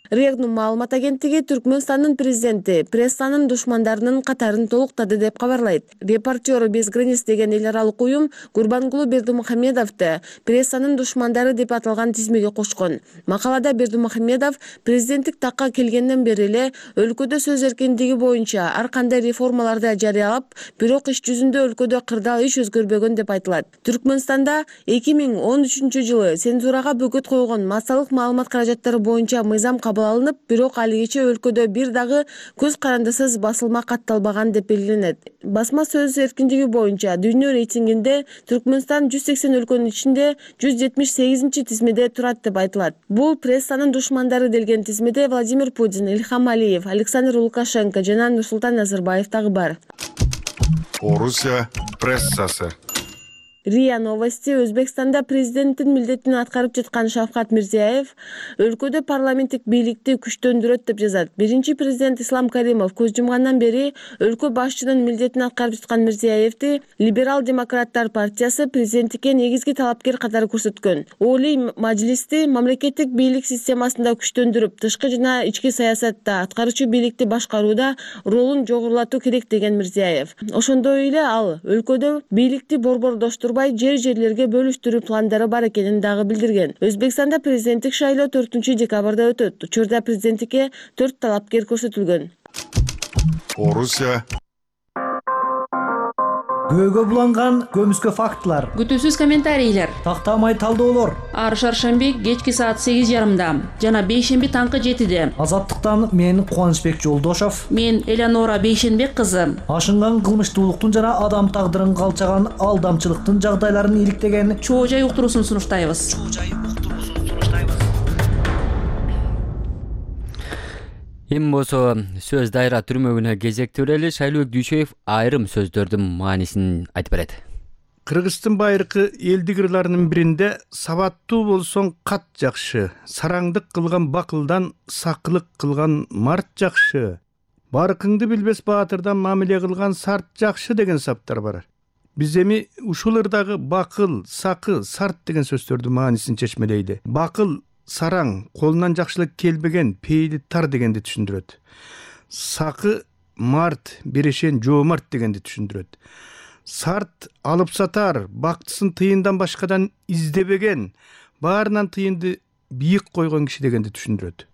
Регнум маалымат агенттиги Түркмөнстандын президенти прессанын душмандарынын катарын толуктады деп кабарлайт. Репортеры без границ деген эл аралык уюм Гурбангулу Бердимухамедовду прессанын душмандары деп аталган тизмеге кошкон. Макалада Бердимухамедов президенттик такка келгенден бери эле өлкөдө сөз эркиндиги боюнча ар кандай реформаларды жарыялап, бирок иш жүзүндө өлкөдө кырдаал иш өзгөрбөгөн деп айтылат. Түркмөнстанда эки миң он үчүнчү жылы цензурага бөгөт койгон массалык маалымат каражаттары боюнча мыйзам кабыл алынып, бирок алигече өлкөдө бир дагы көз карандысыз басылма катталбаган деп белгиленет. Басма сөз эркиндиги боюнча дүйнө рейтингинде Түркмөнстан жүз сексен өлкөнүн ичинде жүз жетимиш сегизинчи тизмеде турат деп айтылат. Бул прессанын душмандары делген тизмеде Владимир Путин, Ильхам Алиев, Александр Лукашенко жана Нурсултан Назарбаев дагы бар. Орусия прессасы. РИА Новости. Өзбекстанда президенттин милдетин аткарып жаткан Шавкат Мирзиёев өлкөдө парламенттик бийликти күчтөндүрөт деп жазат. Биринчи президент Ислам Каримов көз жумгандан бери өлкө башчынын милдетин аткарып жаткан Мирзиёевди Либерал демократтар партиясы президенттикке негизги талапкер катары көрсөткөн. Олий мажлисти мамлекеттик бийлик системасында күчтөндүрүп, тышкы жана ички саясатта аткаруучу бийликти башкарууда ролун жогорулатуу керек деген Мирзиёев. Ошондой эле ал өлкөдө бийликти борбордоштурбай жер-жерлерге бөлүштүрүү пландары бар экенин дагы билдирген. Өзбекстанда президенттик шайлоо төртүнчү декабрда өтөт. Учурда президенттикке төрт талапкер көрсөтүлгөн. Орусия. Көөгө буланган көмүскө фактылар, күтүүсүз комментарийлер, тактамай талдоолор. Ар шаршемби кечки саат сегиз жарымда жана бейшемби таңкы жетиде. Азаттыктан мен Кубанычбек Жолдошов, мен Элеонора Бейшенбек кызы. Ашынган кылмыштуулуктун жана адам тагдырын калчаган алдамчылыктын жагдайларын иликтеген Чоо жай уктуруусун сунуштайбыз. Эми болсо сөз дайра түрмөгүнө кезектүү эле Шайлообек Дүйшөев айрым сөздөрдүн маанисин айтып берет. Кыргыздын байыркы элдик ырларынын биринде сабаттуу болсоң кат жакшы, сараңдык кылган бакылдан сакылык кылган март жакшы, баркыңды билбес баатырдан мамиле кылган сарт жакшы деген саптар бар. Биз эми ушул ырдагы бакыл, сакы, сарт деген сөздөрдүн маанисин чечмелейли. Бакыл сараң, колунан жакшылык келбеген, пейили тар дегенди түшүндүрөт. Сакы март, берешен, жоомарт дегенди түшүндүрөт. Сарт алып сатар, бактысын тыйындан башкадан издебеген, баарынан тыйынды бийик койгон киши дегенди түшүндүрөт.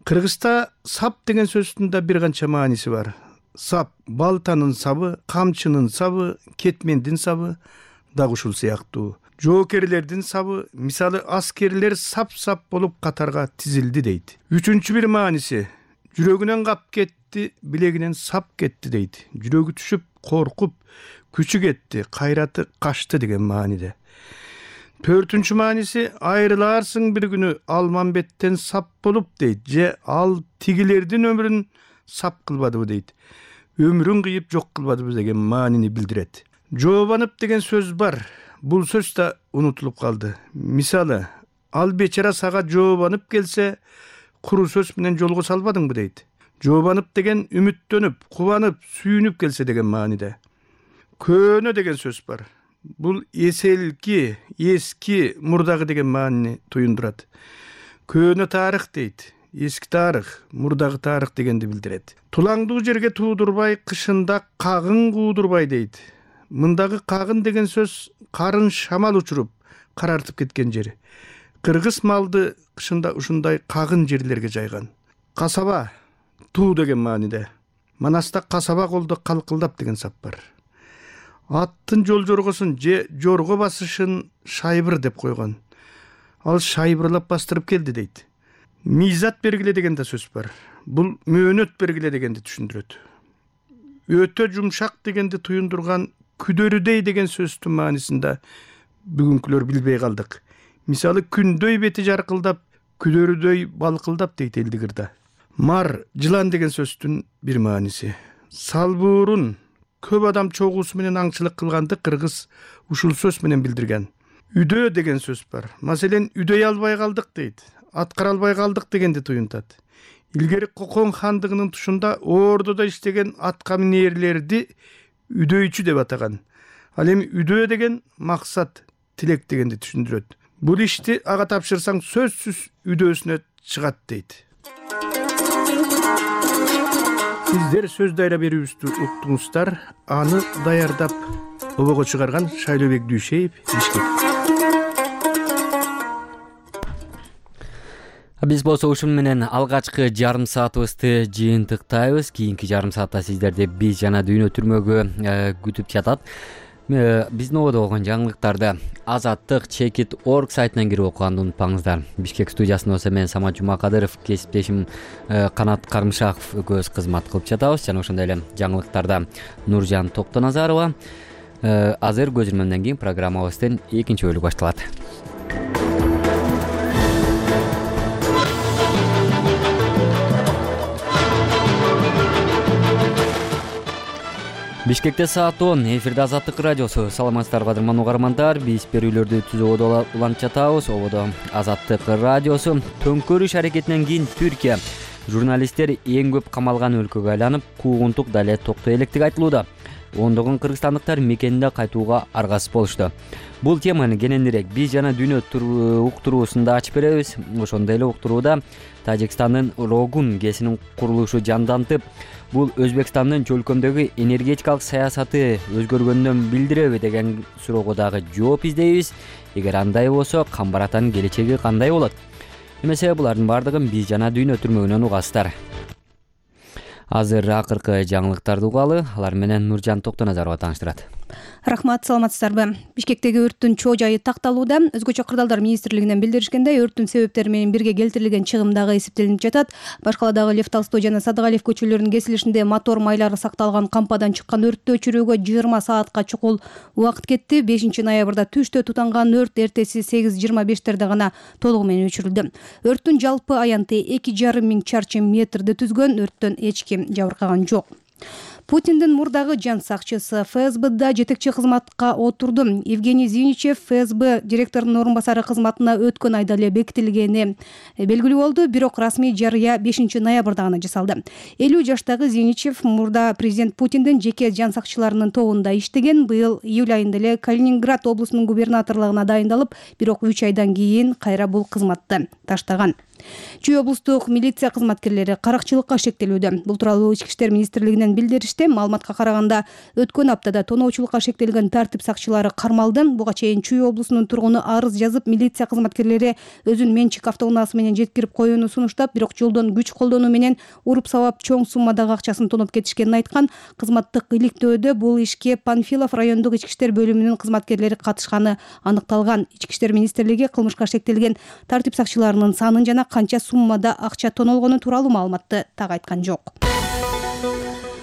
Кыргызда сап деген сөздүн да бир канча мааниси бар. Сап балтанын сабы, камчынын сабы, кетмендин сабы дагы ушул сыяктуу. Жоокерлердин сабы, мисалы аскерлер сап-сап болуп катарга тизилди дейт. Үчүнчү бир мааниси, жүрөгүнөн кап кетти, билегинен сап кетти дейт. Жүрөгү түшүп, коркуп, күчү кетти, кайраты качты деген мааниде. Төртүнчү мааниси, айрылаарсың бир күнү Алмамбеттен сап болуп дейт. Же ал тигилердин өмүрүн сап кылбадыбы дейт. Өмүрүн кыйып жок кылбадыбы деген маанини билдирет. Жообанып деген сөз бар. Бул сөз да унутулуп калды. Мисалы, ал бечара сага жообанып келсе, куру сөз менен жолго салбадыңбы дейт. Жообанып деген үмүттөнүп, кубанып, сүйүнүп келсе деген мааниде. Көөнө деген сөз бар. Бул эселки, эски, мурдагы деген маанини туюндурат. Көөнө тарых дейт. Эски тарых, мурдагы тарых дегенди билдирет. Тулаңдуу жерге туудурбай, кышында кагын куудурбай дейт. Мындагы кагын деген сөз карын шамал учуруп, карартып кеткен жер. Кыргыз малды кышында ушундай кагын жерлерге жайган. Касаба, туу деген мааниде. Манаста касаба колдо калкылдап деген сап бар. Аттын жол жоргосун же жорго басышын шайбыр деп койгон. Ал шайбырлап бастырып келди дейт. Мизат бергиле деген да сөз бар. Бул мөөнөт бергиле дегенди түшүндүрөт. Өтө жумшак дегенди туюндурган күдөрүдөй деген сөздүн маанисинде бүгүнкүлөр билбей калдык. Мисалы күндөй бети жаркылдап, күдөрүдөй балкылдап дейт элдик ырда. Мар, жылан деген сөздүн бир мааниси. Салбуурун көп адам чогуусу менен аңчылык кылганды кыргыз ушул сөз менен билдирген. Үдөө деген сөз бар. Маселен, үдөй албай калдык дейт. Аткара албай калдык дегенди туюнтат. Илгери Кокон хандыгынын тушунда ордодо иштеген атка минээрлерди үдөйчү деп атаган. Ал эми үдөө деген максат, тилек дегенди түшүндүрөт. Бул ишти ага тапшырсаң сөзсүз үдөөсүнө чыгат дейт. Сиздер сөз дайра берүүбүздү уктуңуздар. Аны даярдап обого чыгарган Шайлообек Дүйшеев, Бишкек. Биз болсо ушун менен алгачкы жарым саатыбызды жыйынтыктайбыз. Кийинки жарым саатта сиздерди биз жана дүйнө түрмөгү күтүп жатат. Биздин ободо болгон жаңылыктарды азаттык чекит точка орг сайтынан кирип окуганды унутпаңыздар. Бишкек студиясында болсо мен Самат Жумакадыров, кесиптешим Канат Кармышаков экөөбүз кызмат кылып жатабыз. Жана ошондой эле жаңылыктарда Нуржан Токтоназарова. Азыр көз ирмемден кийин программабыздын экинчи бөлүгү башталат. Бишкекте саат он, эфирде Азаттык радиосу. Саламатсыздарбы кадырман угармандар. Биз берүүлөрдү түзүүгө улантып жатабыз. Ободо Азаттык радиосу. Төңкөрүш аракетинен кийин Түркия журналисттер эң көп камалган өлкөгө айланып, куугунтук дале токтой электиги айтылууда. Ондогон кыргызстандыктар мекенине кайтууга аргасыз болушту. Бул теманы кененирээк биз жана дүйнө уктуруусунда ачып беребиз. Ошондой эле уктурууда Тажикстандын Рогун КЭСинин курулушу жандантып, бул Өзбекстандын чөлкөмдөгү энергетикалык саясаты өзгөргөндөн билдиреби деген суроого дагы жооп издейбиз. Эгер андай болсо, Камбаратанын келечеги кандай болот? Эмесе булардын бардыгын биз жана дүйнө түрмөгүнөн угасыздар. Азыр акыркы жаңылыктарды угалы, алар менен Нуржан Токтоназарова тааныштырат. Рахмат, саламатсыздарбы? Бишкектеги өрттүн чоо жайы такталууда. Өзгөчө кырдаалдар министрлигинен билдиришкендей, өрттүн себептери менен бирге келтирилген чыгым дагы эсептелип жатат. Башкаладагы Лев Толстой жана Садыгалиев көчөлөрүнүн кесилишинде мотор майлары сакталган кампадан чыккан өрттү өчүрүүгө жыйырма саатка чукул убакыт кетти. бешинчи ноябрда түштө тутанган өрт эртеси сегиз жыйырма бештерде гана толугу менен өчүрүлдү. Өрттүн жалпы аянты эки жарым миң чарчы метрди түзгөн. Өрттөн эч ким жабыркаган жок. Путиндин мурдагы жан сакчысы ФСБда жетекчи кызматка отурду. Евгений Зиничев ФСБ директорунун орун басары кызматына өткөн айда эле бекитилгени белгилүү болду, бирок расмий жарыя бешинчи ноябрда гана жасалды. элүү жаштагы Зиничев мурда президент Путиндин жеке жан сакчыларынын тобунда иштеген. Быйыл июль айында эле Калининград облусунун губернаторлугуна дайындалып, бирок үч айдан кийин кайра бул кызматты таштаган. Чүй облустук милиция кызматкерлери каракчылыкка шектелүүдө. Бул тууралуу Ички иштер министрлигинен билдиришти. Маалыматка караганда, өткөн аптада тоноочулукка шектелген тартип сакчылары кармалды. Буга чейин Чүй облусунун тургуну арыз жазып, милиция кызматкерлери өзүнүн менчик автоунаасы менен жеткирип коюуну сунуштап, бирок жолдон күч колдонуу менен уруп сабап чоң суммадагы акчасын тоноп кетишкенин айткан. Кызматтык иликтөөдө бул ишке Панфилов райондук ички иштер бөлүмүнүн кызматкерлери катышканы аныкталган. Ички иштер министрлиги кылмышка шектелген тартип сакчыларынын санын жана канча суммада акча тонолгону тууралуу маалыматты так айткан жок.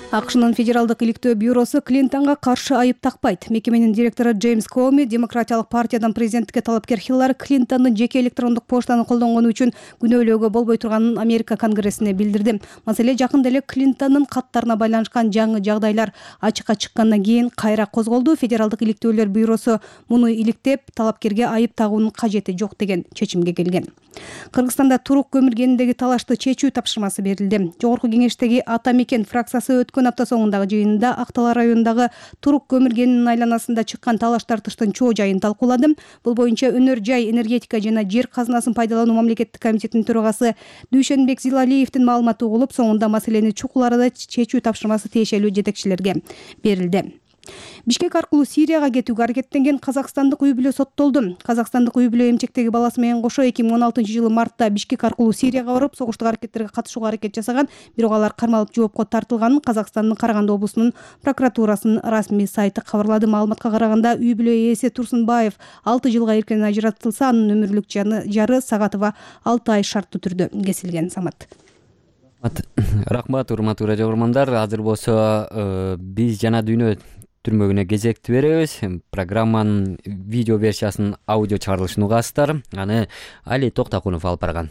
АКШнын федералдык иликтөө бюросу Клинтонго каршы айып такпайт. Мекеменин директору Джеймс Коми Демократиялык партиядан президенттикке талапкер Хиллари Клинтондун жеке электрондук поштаны колдонгону үчүн күнөөлөөгө болбой турганын Америка Конгрессине билдирди. Маселе жакында эле Клинтондун каттарына байланышкан жаңы жагдайлар ачыкка чыккандан кийин кайра козголду. Федералдык иликтөөлөр бюросу муну иликтеп, талапкерге айып тагуунун кажети жок деген чечимге келген. Кыргызстанда турук көмүр кениндеги талашты чечүү тапшырмасы берилди. Жогорку кеңештеги Ата Мекен фракциясы өткөн апта соңундагы жыйынында Актала районундагы турук көмүр кенинин айланасында чыккан талаш тартыштын чоо жайын талкуулады. Бул боюнча Өнөр жай, энергетика жана жер казынасын пайдалануу мамлекеттик комитетинин төрагасы Дүйшөнбек Зилалиевдин маалыматы угулуп, соңунда маселени чукул арада чечүү тапшырмасы тиешелүү жетекчилерге берилди. Бишкек аркылуу Сирияга кетүүгө аракеттенген казакстандык үй бүлө соттолду. Казакстандык үй бүлө эмчектеги баласы менен кошо эки миң он алтынчы жылы мартта Бишкек аркылуу Сирияга барып, согуштук аракеттерге катышууга аракет жасаган, бирок алар кармалып жоопко тартылганын Казакстандын Караганды облусунун прокуратурасынын расмий сайты кабарлады. Маалыматка караганда, үй бүлө ээси Турсунбаев алты жылга эркен ажыратылса, анын өмүрлүк жары Сагатова алты ай шарттуу түрдө кесилген. Самат. Рахмат, урматтуу радио угармандар. Азыр болсо биз жана дүйнө түрмөгүнө кезекти беребиз. Программанын видео версиясынын аудио чыгарылышын угасыздар. Аны Али Токтакунов алып барган.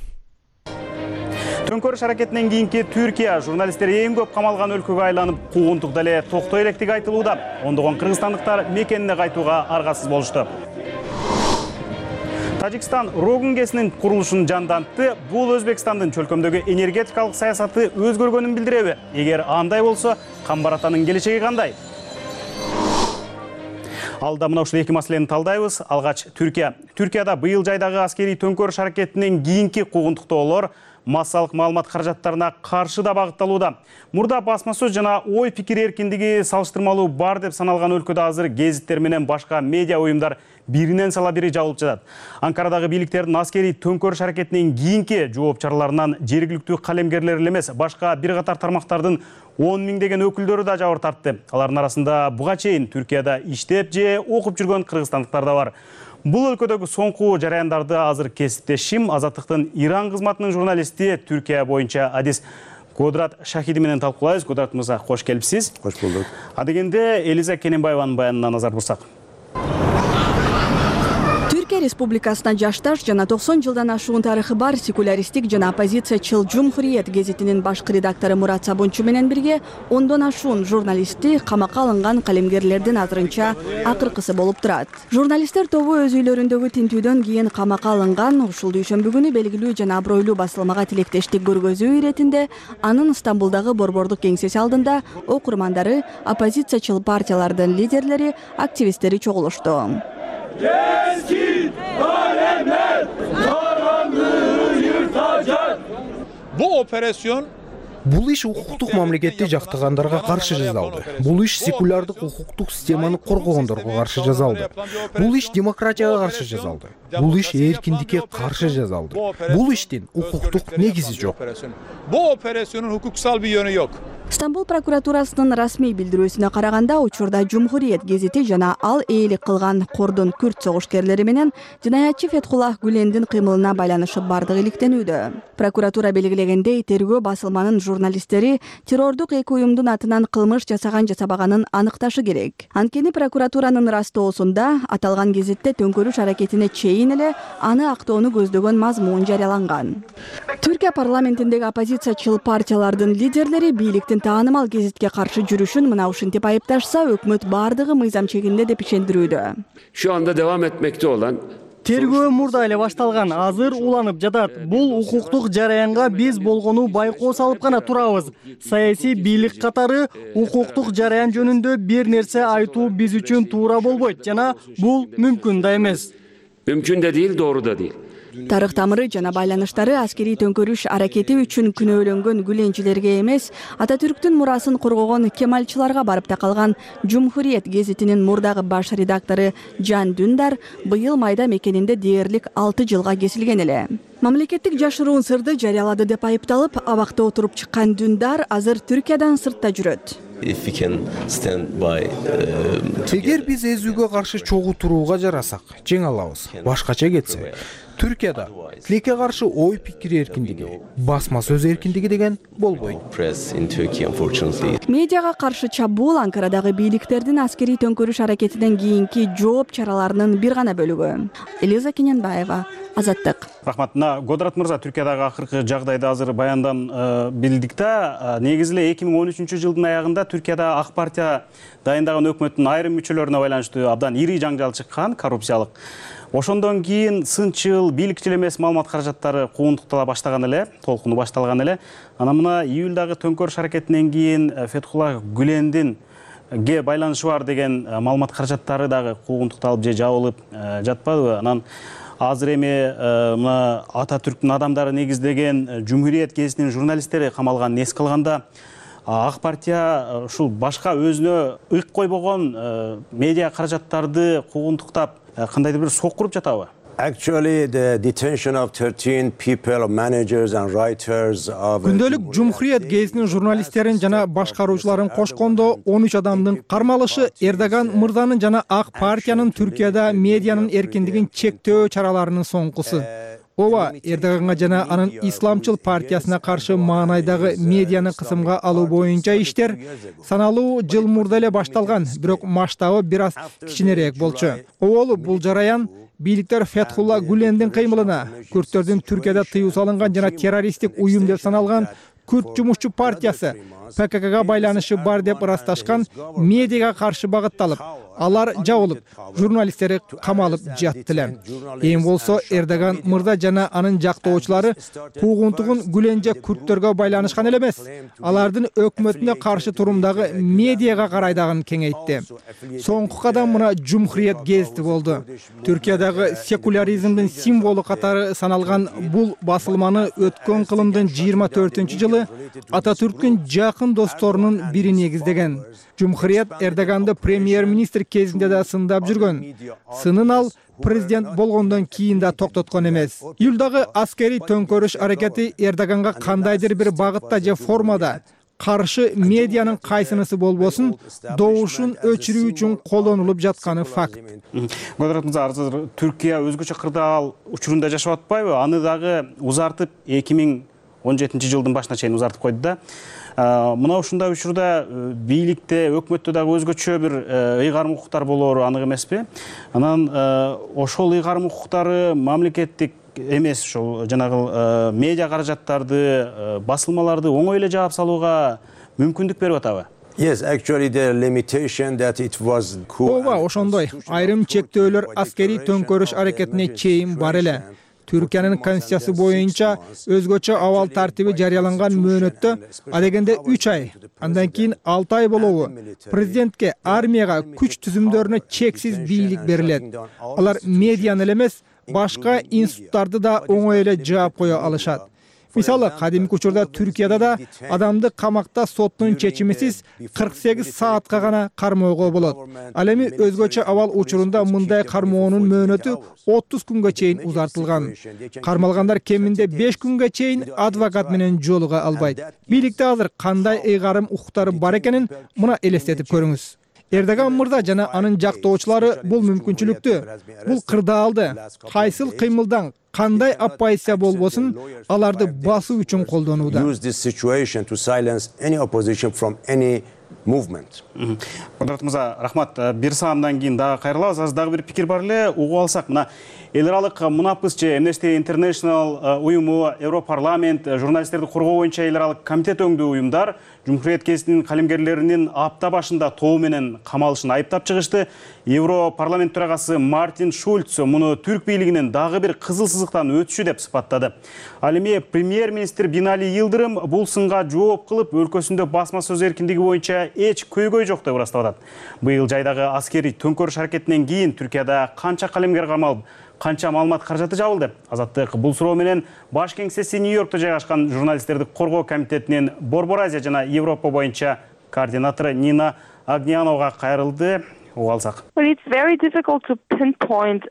Төңкөрүш аракетинен кийинки Түркия журналисттер эң көп камалган өлкөгө айланып, куугунтук дале токтой электиги айтылууда. Ондогон кыргызстандыктар мекенине кайтууга аргасыз болушту. Тажикстан Рогун КЭСинин курулушун жандантты. Бул Өзбекстандын чөлкөмдөгү энергетикалык саясаты өзгөргөнүн билдиреби? Эгер андай болсо, Камбаратанын келечеги кандай? Алда мына ушул эки маселени талдайбыз. Алгач Түркия. Түркияда быйыл жайдагы аскерий төңкөрүш аракетинен кийинки куугунтуктоолор массалык маалымат каражаттарына каршы да багытталууда. Мурда басма сөз жана ой пикир эркиндиги салыштырмалуу бар деп саналган өлкөдө азыр гезиттер менен башка медиа уюмдар биринен сала бири жабылып жатат. Анкарадагы бийликтердин аскерий төңкөрүш аракетинен кийинки жооп чараларынан жергиликтүү калемгерлер эле эмес, башка бир катар тармактардын он миңдеген өкүлдөрү да жабыр тартты. Алардын арасында буга чейин Түркияда иштеп же окуп жүргөн кыргызстандыктар да бар. Бул өлкөдөгү соңку жараяндарды азыр кесиптешим Азаттыктын Иран кызматынын журналисти Түркия боюнча адис Годрат Шахиди менен талкуулайбыз. Годрат мырза, кош келипсиз. Кош болдук. Адегенде Элиза Кененбаеванын баянына назар бурсак. Түркия Республикасына жашташ жана токсон жылдан ашуун тарыхы бар секуляристик жана оппозициячыл Жумхуриет гезитинин башкы редактору Мурат Сабунчу менен бирге ондон ашуун журналисти камакка алынган калемгерлердин азырынча акыркысы болуп турат. Журналисттер тобу өз үйлөрүндөгү тинтүүдөн кийин камакка алынган. Ушул дүйшөмбү күнү белгилүү жана абройлуу басылмага тилектештик көргөзүү иретинде анын Стамбулдагы борбордук кеңсеси алдында окурмандары, оппозициячыл партиялардын лидерлери, активисттери чогулушту. Keskin kalemler karanlığı yırtacak. Bu operasyon Бул иш укуктук мамлекетти жактагандарга каршы жасалды. Бул иш секулярдык укуктук системаны коргогондорго каршы жасалды. Бул иш демократияга каршы жасалды. Бул иш эркиндикке каршы жасалды. Бул иштин укуктук негизи жок. Bu operasyonun hukuksal bir yönü yok. Стамбул прокуратурасынын расмий билдирүүсүнө караганда, учурда Жумхуриет гезити жана ал ээлик кылган кордун күрд согушкерлери менен жинаятчы Фетхуллах Гүлендин кыймылына байланышы бардыгы иликтенүүдө. Прокуратура белгилегендей, тергөө басылманын журналисттери террордук эки уюмдун атынан кылмыш жасаган жасабаганын аныкташы керек. Анткени прокуратуранын растоосунда аталган гезитте төңкөрүш аракетине чейин эле аны актоону көздөгөн мазмун жарыяланган. Түркия парламентиндеги оппозициячыл партиялардын лидерлери бийликтин таанымал гезитке каршы жүрүшүн мына ушинтип айыпташса, өкмөт бардыгы мыйзам чегинде деп ишендирүүдө. Şu anda devam etmekte olan Тергөө мурда эле башталган, азыр уланып жатат. Бул укуктук жараянга биз болгону байкоо салып гана турабыз. Саясий бийлик катары укуктук жараян жөнүндө бир нерсе айтуу биз үчүн туура болбойт жана бул мүмкүн да эмес. Mümkün de değil, doğru da değil. Тарых тамыры жана байланыштары аскерий төңкөрүш аракети үчүн күнөөлөнгөн гүленчилерге эмес, Ататүрктүн мурасын коргогон кемалчыларга барып такалган Жумхуриет гезитинин мурдагы баш редактору Жан Дүндар быйыл майда мекенинде дээрлик алты жылга кесилген эле. Мамлекеттик жашыруун сырды жарыялады деп айыпталып, абакта отуруп чыккан Дүндар азыр Түркиядан сыртта жүрөт. Эгер биз эзүүгө каршы чогуу турууга жарасак, жеңе алабыз. Башкача кетсе, Түркияда тилекке каршы ой пикир эркиндиги, басма сөз эркиндиги деген болбойт. Медиага каршы чабуул Анкарадагы бийликтердин аскерий төңкөрүш аракетинен кийинки жооп чараларынын бир гана бөлүгү. Элиза Кененбаева, Азаттык. Рахмат. Годрат мырза, Түркиядагы акыркы жагдайды азыр баяндан билдик да. Негизи эле эки миң он үчүнчү жылдын аягында Түркияда ак партия дайындаган өкмөттүн айрым мүчөлөрүнө байланыштуу абдан ири жаңжал чыккан, коррупциялык. Ошондон кийин сынчыл, бийликчил эмес маалымат каражаттары куугунтуктала баштаган эле, толкуну башталган эле. Анан мына июлдагы төңкөрүш аракетинен кийин Фетхуллах Гүлендин ге байланышы бар деген маалымат каражаттары дагы куугунтукталып же жабылып жатпадыбы? Анан азыр эми мына Ататүрктүн адамдары негиздеген Жумхуриет гезитинин журналисттери камалган. Эске алганда, ак партия ушул башка өзүнө ык койбогон медиа каражаттарды куугунтуктап кандайдыр бир сокуруп жатабы? Actually, the detention of thirteen people, managers and writers of Күндөлүк Жумхуриет гезитинин журналисттерин жана башкаруучуларын кошкондо он үч адамдын кармалышы Эрдоган мырзанын жана ак партиянын Түркияда медианын эркиндигин чектөө чараларынын соңкусу. Ооба, Эрдоганга жана анын исламчыл партиясына каршы маанайдагы медианы кысымга алуу боюнча иштер саналуу жыл мурда эле башталган, бирок масштабы бир аз кичинерээк болчу. Оболу бул жараян бийликтер Фетхулла Гүлендин кыймылына, күрдтөрдүн Түркияда тыюу салынган жана террористтик уюм деп саналган Күрд жумушчу партиясы ПККга байланышы бар деп ырасташкан медиага каршы багытталып, алар жабылып, журналисттери камалып жатты эле. Эми болсо Эрдоган мырза жана анын жактоочулары куугунтугун Гүленже күрттөргө байланышкан эле эмес, алардын өкмөтүнө каршы турумдагы медиага карай дагы кеңейтти. Соңку кадам мына Cumhuriyet гезити болду. Түркиядагы секуляризмдин символу катары саналган бул басылманы өткөн кылымдын жыйырма төртүнчү жылы Ататүрктүн жакын досторунун бири негиздеген. Cumhuriyet Эрдоганды премьер-министр кезинде да сындап жүргөн. Сынын ал президент болгондон кийин да токтоткон эмес. Июлдагы аскерий төңкөрүш аракети Эрдоганга кандайдыр бир багытта же формада каршы медианын кайсынысы болбосун добушун өчүрүү үчүн колдонулуп жатканы факт. Квадрат мырза, азыр Түркия өзгөчө кырдаал учурунда жашап атпайбы? Аны дагы узартып эки миң он жетинчи жылдын башына чейин узартып койду да. Мына ушундай учурда бийликте, өкмөттө дагы өзгөчө бир ыйгарым укуктар болоору анык эмеспи? Анан ошол ыйгарым укуктары мамлекеттик эмес, ошол жанагы медиа каражаттарды, басылмаларды оңой эле жаап салууга мүмкүндүк берип атабы? Yes, actually the limitation that it was Ооба, ошондой. Айрым чектөөлөр аскерий төңкөрүш аракетине чейин бар эле. Түркиянын конституциясы боюнча өзгөчө абал тартиби жарыяланган мөөнөттө адегенде үч ай, андан кийин алты ай болобу президентке, армияга, күч түзүмдөрүнө чексиз бийлик берилет. Алар медианы эле эмес, башка институттарды да оңой эле жаап кое алышат. Мисалы, кадимки учурда Түркияда да адамды камакта соттун чечимисиз кырк сегиз саатка гана кармоого болот. Ал эми өзгөчө абал учурунда мындай кармоонун мөөнөтү отуз күнгө чейин узартылган. Кармалгандар кеминде беш күнгө чейин адвокат менен жолуга албайт. Бийликте азыр кандай ыйгарым укуктары бар экенин мына элестетип көрүңүз. Эрдоган мырза жана анын жактоочулары бул мүмкүнчүлүктү, бул кырдаалды кайсыл кыймылдан кандай оппозиция болбосун аларды басуу үчүн колдонууда. Квадрат мырза, рахмат. Бир саамдан кийин дагы кайрылабыз. Азыр дагы бир пикир бар эле, угуп алсак. Мына эл аралык мунапыс же Amnesty International уюму, Европарламент, журналисттерди коргоо боюнча эл аралык комитет өңдүү уюмдар Cumhuriyet гезитинин калемгерлеринин апта башында тоо менен камалышын айыптап чыгышты. Европарламент төрагасы Мартин Шульц муну түрк бийлигинин дагы бир кызыл сызыктан өтүшү деп сыпаттады. Ал эми премьер-министр Бинали Йылдырым бул сынга жооп кылып, өлкөсүндө басма сөз эркиндиги боюнча эч көйгөй жок деп ырастап атат. Быйыл жайдагы аскерий төңкөрүш аракетинен кийин Түркияда канча калемгер камалып, канча маалымат каражаты жабылды? Азаттык бул суроо менен баш кеңсеси Нью-Йоркто жайгашкан журналисттерди коргоо комитетинин Борбор Азия жана Европа боюнча координатору Нина Агняновга кайрылды. Уалсак.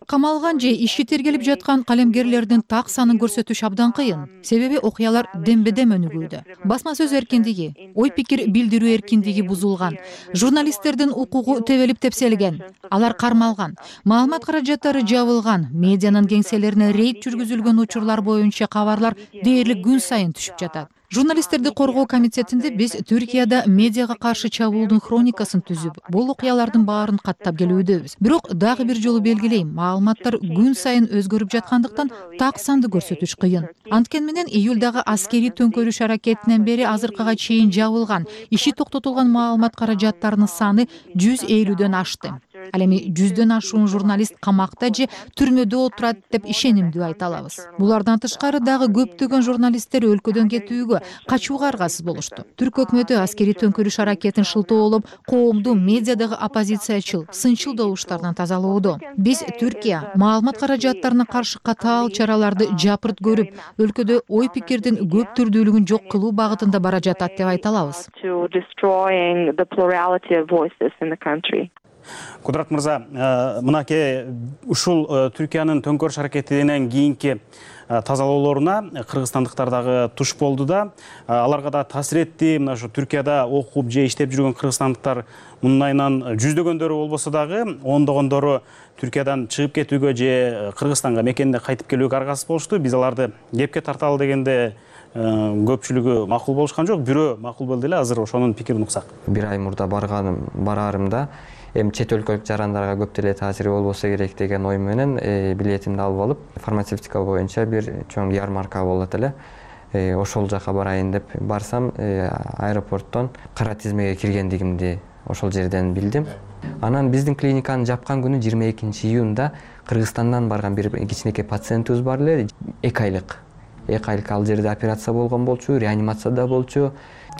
Камалган же иши тергелип жаткан калемгерлердин так санын көрсөтүш абдан кыйын. Себеби окуялар дембедем өнүгүүдө. Басма сөз эркиндиги, ой пикир билдирүү эркиндиги бузулган. Журналисттердин укугу тебелип тепселген. Алар кармалган. Маалымат каражаттары жабылган. Медианын кеңселерине рейд жүргүзүлгөн учурлар боюнча кабарлар дээрлик күн сайын түшүп жатат. Журналисттерди коргоо комитетинде биз Түркияда медиага каршы чабуулдун хроникасын түзүп, бул окуялардын баарын каттап келүүдөбүз. Бирок дагы бир жолу белгилейм, маалыматтар күн сайын өзгөрүп жаткандыктан так санды көрсөтүш кыйын. Анткени менен июлдагы аскерий төңкөрүш аракетинен бери азыркыга чейин жабылган, иши токтотулган маалымат каражаттарынын саны жүз элүүдөн ашты. Ал эми жүздөн ашуун журналист камакта же түрмөдө отурат деп ишенимдүү айта алабыз. Булардан тышкары дагы көптөгөн журналисттер өлкөдөн кетүүгө, качууга аргасыз болушту. Түрк өкмөтү аскерий төңкөрүш аракетин шылтоолоп, коомду медиадагы оппозициячыл, сынчыл добуштардан тазалоодо. Биз Түркия маалымат каражаттарына каршы катаал чараларды жапырт көрүп, өлкөдө ой пикирдин көп түрдүүлүгүн жок кылуу багытында бара жатат деп айта алабыз. Квадрат мырза, мынакей ушул Түркиянын төңкөрүш аракетинен кийинки тазалоолоруна кыргызстандыктар дагы туш болду да, аларга да таасир этти. Мына ушу Түркияда окуп же иштеп жүргөн кыргызстандыктар мунун айынан жүздөгөндөрү болбосо дагы ондогондору Түркиядан чыгып кетүүгө же Кыргызстанга мекенине кайтып келүүгө аргасыз болушту. Биз аларды кепке тарталы дегенде көпчүлүгү макул болушкан жок, бирөө макул болду эле. Азыр ошонун пикирин уксак. Бир ай мурда барганым бараарымда эми чет өлкөлүк жарандарга көп деле таасири болбосо керек деген ой менен билетимди алып алып, фармацевтика боюнча бир чоң ярмарка болот эле. ошол жака барайын деп барсам, аэропорттон кара тизмеге киргендигимди ошол жерден билдим. Анан биздин клиниканы жапкан күнү жыйырма экинчи июнда Кыргызстандан барган бир кичинекей пациентибиз бар эле, эки айлык. эки айлык ал жерде операция болгон болчу, реанимацияда болчу.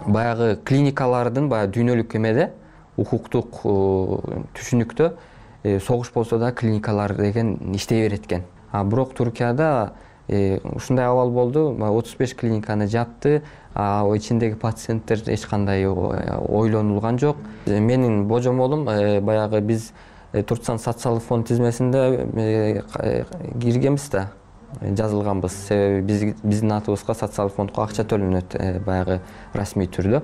Баягы клиникалардын баягы дүйнөлүк эмеде, укуктук түшүнүктө согуш болсо да клиникалар деген иштей берет экен. А бирок Туркияда ушундай абал болду, отуз беш клиниканы жапты, а ичиндеги пациенттер эч кандай ойлонулган жок. Менин божомолум баягы биз Туркстан социалдык фонд тизмесинде киргенбиз да, жазылганбыз. Себеби биздин атыбызга социалдык фондко акча төлөнөт баягы расмий түрдө.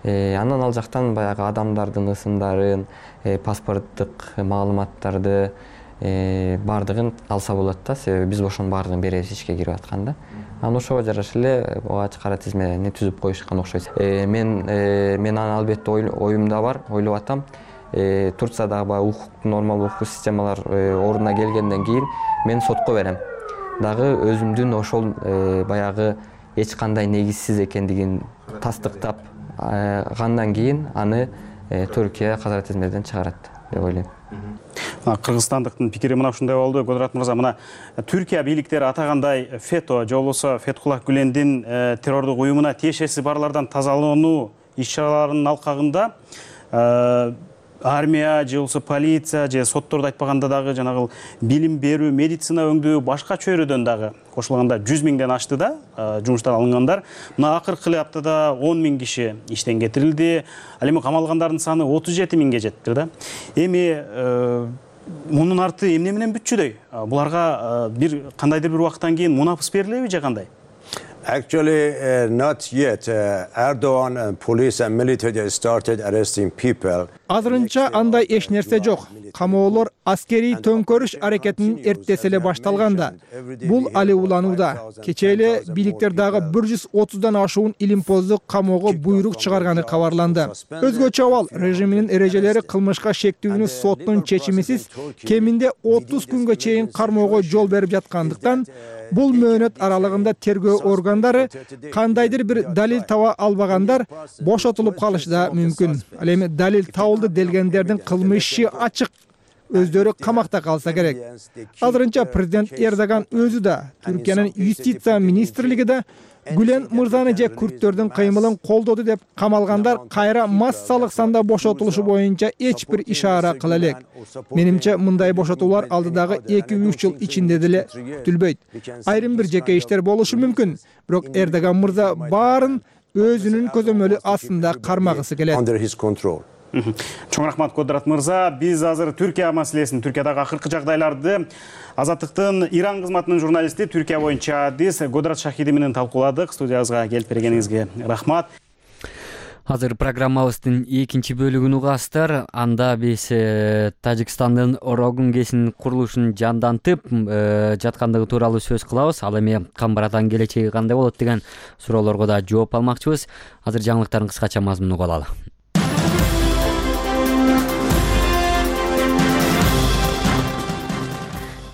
Анан ал жактан баягы адамдардын ысымдарын, паспорттук маалыматтарды бардыгын алса болот да, себеби биз ошонун бардыгын беребиз ишке кирип атканда. Анан ошого жараша эле оогач кара тизмени түзүп коюшкан окшойт. Мен мен аны албетте оюмда бар, ойлоп атам. Турциядагы баягы укук, нормал укук системалар ордуна келгенден кийин мен сотко берем. Дагы өзүмдүн ошол баягы эч кандай негизсиз экендигин тастыктап гандан кийин аны Түркия кара тизмеден чыгарат деп ойлойм. Кыргызстандыктын пикири мына ушундай болду. Кодурат мырза, мына Түркия бийликтери атагандай ФЕТО же болбосо Фетхуллах Гүлендин террордук уюмуна тиешеси барлардан тазалануу иш-чараларынын алкагында армия же болбосо полиция же сотторду айтпаганда дагы жанагы билим берүү, медицина өңдүү башка чөйрөдөн дагы кошулганда жүз миңден ашты да жумуштан алынгандар. Мына акыркы аптада он миң киши иштен кетирилди. Ал эми камалгандардын саны отуз жети миңге жетти да. Эми мунун арты эмне менен бүтчүдөй? Буларга бир кандайдыр бир убакыттан кийин мунапыс берилеби же кандай? Actually, uh, not yet. Uh, Erdogan and police and military started arresting people. Азырынча андай эч нерсе жок. Камоолор аскерий төңкөрүш аракетинин эртеси эле башталганда. Бул али уланууда. Кечээ эле бийликтер дагы бир жүз отуздан ашуун илимпоздук камоого буйрук чыгарганы кабарланды. Өзгөчө абал режиминин эрежелери кылмышка шектүүнү соттун чечимисиз кеминде отуз күнгө чейин кармоого жол берип жаткандыктан бул мөөнөт аралыгында тергөө органдары кандайдыр бир далил таба албагандар бошотулуп калышы да мүмкүн. Ал эми далил табылды делгендердин кылмышы ачык, өздөрү камакта калса керек. Азырынча президент Эрдоган өзү да, Түркиянын юстиция министрлиги да Гүлен мырзаны же күрттөрдүн кыймылын колдоду деп камалгандар кайра массалык санда бошотулушу боюнча эч бир ишара кыла элек. Менимче мындай бошотуулар алдыдагы эки үч жыл ичинде деле күтүлбөйт. Айрым бир жеке иштер болушу мүмкүн, бирок Эрдоган мырза баарын өзүнүн көзөмөлү астында кармагысы келет. Чоң рахмат Кодурат мырза. Биз азыр Түркия маселесин, Түркиядагы акыркы жагдайларды Азаттыктын Иран кызматынын журналисти, Түркия боюнча адис Кодурат Шахиди менен талкууладык. Студиябызга келип бергениңизге рахмат. Азыр программабыздын экинчи бөлүгүн угасыздар. Анда биз Тажикстандын Рогун КЭСинин курулушун жандантып жаткандыгы тууралуу сөз кылабыз. Ал эми Камбарадан келечеги кандай болот деген суроолорго да жооп алмакчыбыз. Азыр жаңылыктардын кыскача мазмунун угуп алалы.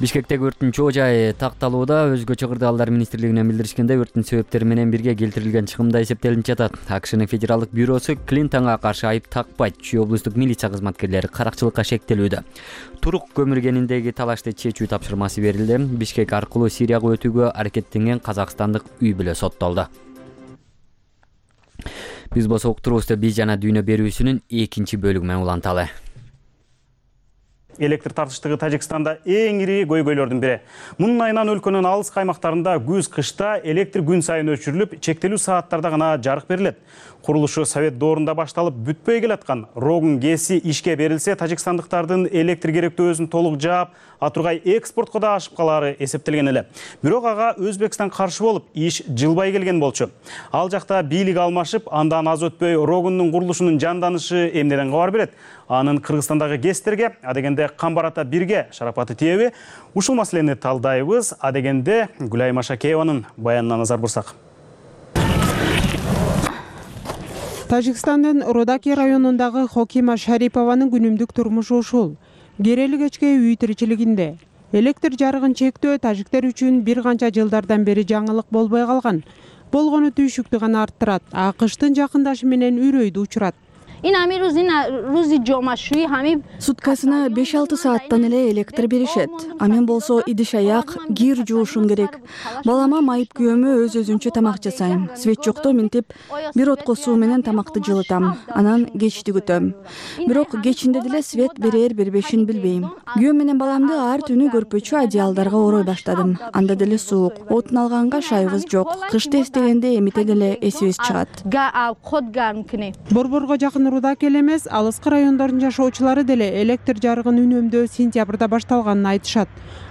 Бишкектеги өрттүн чоо жайы такталууда. Өзгөчө кырдаалдар министрлигинен билдиришкенде, өрттүн себептери менен бирге келтирилген чыгымда эсептелип жатат. АКШнын федералдык бюросу Клинтонго каршы айып такпайт. Чүй облустук милиция кызматкерлери каракчылыкка шектелүүдө. Турук көмүргениндеги талашты чечүү тапшырмасы берилди. Бишкек аркылуу Сирияга өтүүгө аракеттенген казакстандык үй бүлө соттолду. Биз болсо уктурубузду биз жана дүйнө берүүсүнүн экинчи бөлүгү менен уланталы. Электр тартыштыгы Тажикстанда эң ири көйгөйлөрдүн бири. Мунун айынан өлкөнүн алыс каймактарында күз-кышта электр күн сайын өчүрүлүп, чектелүү сааттарда гана жарык берилет. Курулушу Совет доорунда башталып, бүтпөй келаткан Рогун КЭСи ишке берилсе, тажикстандыктардын электр керектөөсүн толук жаап, атургай экспортко да ашып калары эсептелген эле. Бирок ага Өзбекстан каршы болуп, иш жылбай келген болчу. Ал жакта бийлик алмашып, андан аз өтпөй Рогундун курулушунун жанданышы эмнеден кабар берет? Анын Кыргызстандагы КЭСтерге, адегенде Камбарата бирге шарапаты тиеби? Ушул маселени талдайбыз. Адегенде Гүлай Машакееванын баянына назар бурсак. Тажикстандын Родаки районундагы Хокима Шарипованын күнүмдүк турмушу ушул. Керели кечке үй тиричилигинде. Электр жарыгын чектөө тажиктер үчүн бир канча жылдардан бери жаңылык болбой калган. болгону түйшүктү гана арттырат, АКШтын жакындашы менен үрөйдү учурат. Суткасына беш алты сааттан эле электр беришет. А мен болсо идиш аяк, кир жуушум керек. Балама майып күйөөмө өз өзүнчө тамак жасайм. Свет жокто минтип бир отко суу менен тамакты жылытам. Анан кечти күтөм. Бирок кечинде деле свет берер бербешин билбейм. Күйөөм менен баламды ар түнү көрпөчү одеялдарга орой баштадым. Анда деле суук. Отун алганга шайыбыз жок. Кышты эстегенде эмите деле эсибиз чыгат. Борборго жакын Рудаки эле эмес, алыскы райондордун жашоочулары деле электр жарыгын үнөмдөө сентябрда башталганын айтышат.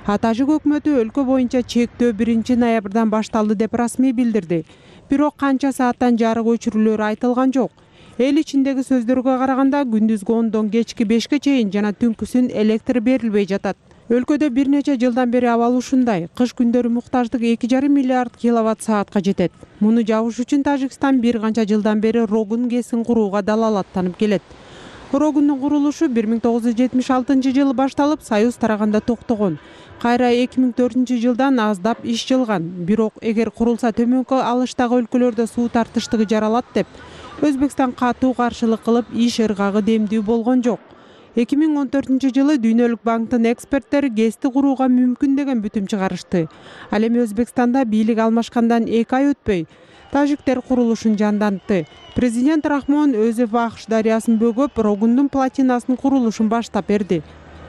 Атажык өкмөтү өлкө боюнча чектөө биринчи ноябрдан башталды деп расмий билдирди. Бирок канча сааттан жарык өчүрүлөрү айтылган жок. Эл ичиндеги сөздөргө караганда күндүзгү ондон кечки бешке чейин жана түнкүсүн электр берилбей жатат. Өлкөдө бир нече жылдан бери абал ушундай. Кыш күндөрү муктаждык эки жарым миллиард киловатт саатка жетет. Муну жабыш үчүн Тажикстан бир канча жылдан бери Рогун ГЭСин курууга далаалаттанып келет. Рогундун курулушу бир миң тогуз жүз жетимиш алтынчы жылы башталып, Союз тараганда токтогон. Кайра эки миң төртүнчү жылдан аздап иш жылган. Бирок эгер курулса төмөнкү алыштагы өлкөлөрдө суу тартыштыгы жаралат деп, Өзбекстан катуу каршылык кылып, иш ыргагы демдүү болгон жок. эки миң он төртүнчү жылы Дүйнөлүк банктын эксперттери ГЭСти курууга мүмкүн деген бүтүм чыгарышты. Ал эми Өзбекстанда бийлик алмашкандан эки ай өтпөй, тажиктер курулушун жандантты. Президент Рахмон өзү Вахш дарыясын бөгөп, Рогундун платинасын курулушун баштап берди.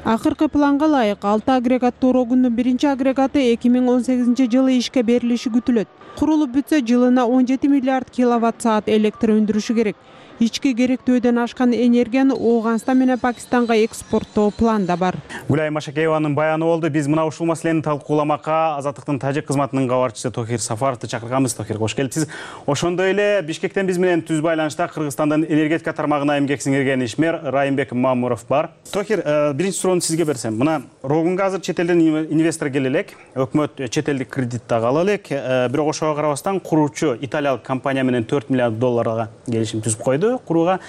Акыркы планга ылайык алты агрегаттуу Рогундун биринчи агрегаты эки миң он сегизинчи жылы ишке берилиши күтүлөт. Курулуп бүтсө, жылына он жети миллиард киловатт саат электр өндүрүшү керек. Ички керектөөдөн ашкан энергияны Ооганстан менен Пакистанга экспорттоо планда бар. Гүлай Машакееванын баяны болду. Биз мына ушул маселени талкууламакка Азаттыктын тажик кызматынын кабарчысы Тохир Сафаровду чакырганбыз. Тохир, кош келипсиз. Ошондой эле Бишкектен биз менен түз байланышта Кыргызстандын энергетика тармагына эмгек сиңирген ишмер Райымбек Мамуров бар. Тохир, биринчи суроону сизге берсем. Мына Рогунга азыр чет элден инвестор келе элек, өкмөт чет элдик кредит дагы ала элек. Бирок ошого карабастан куруучу италиялык компания менен төрт миллиард долларга келишим түзүп койду курууга.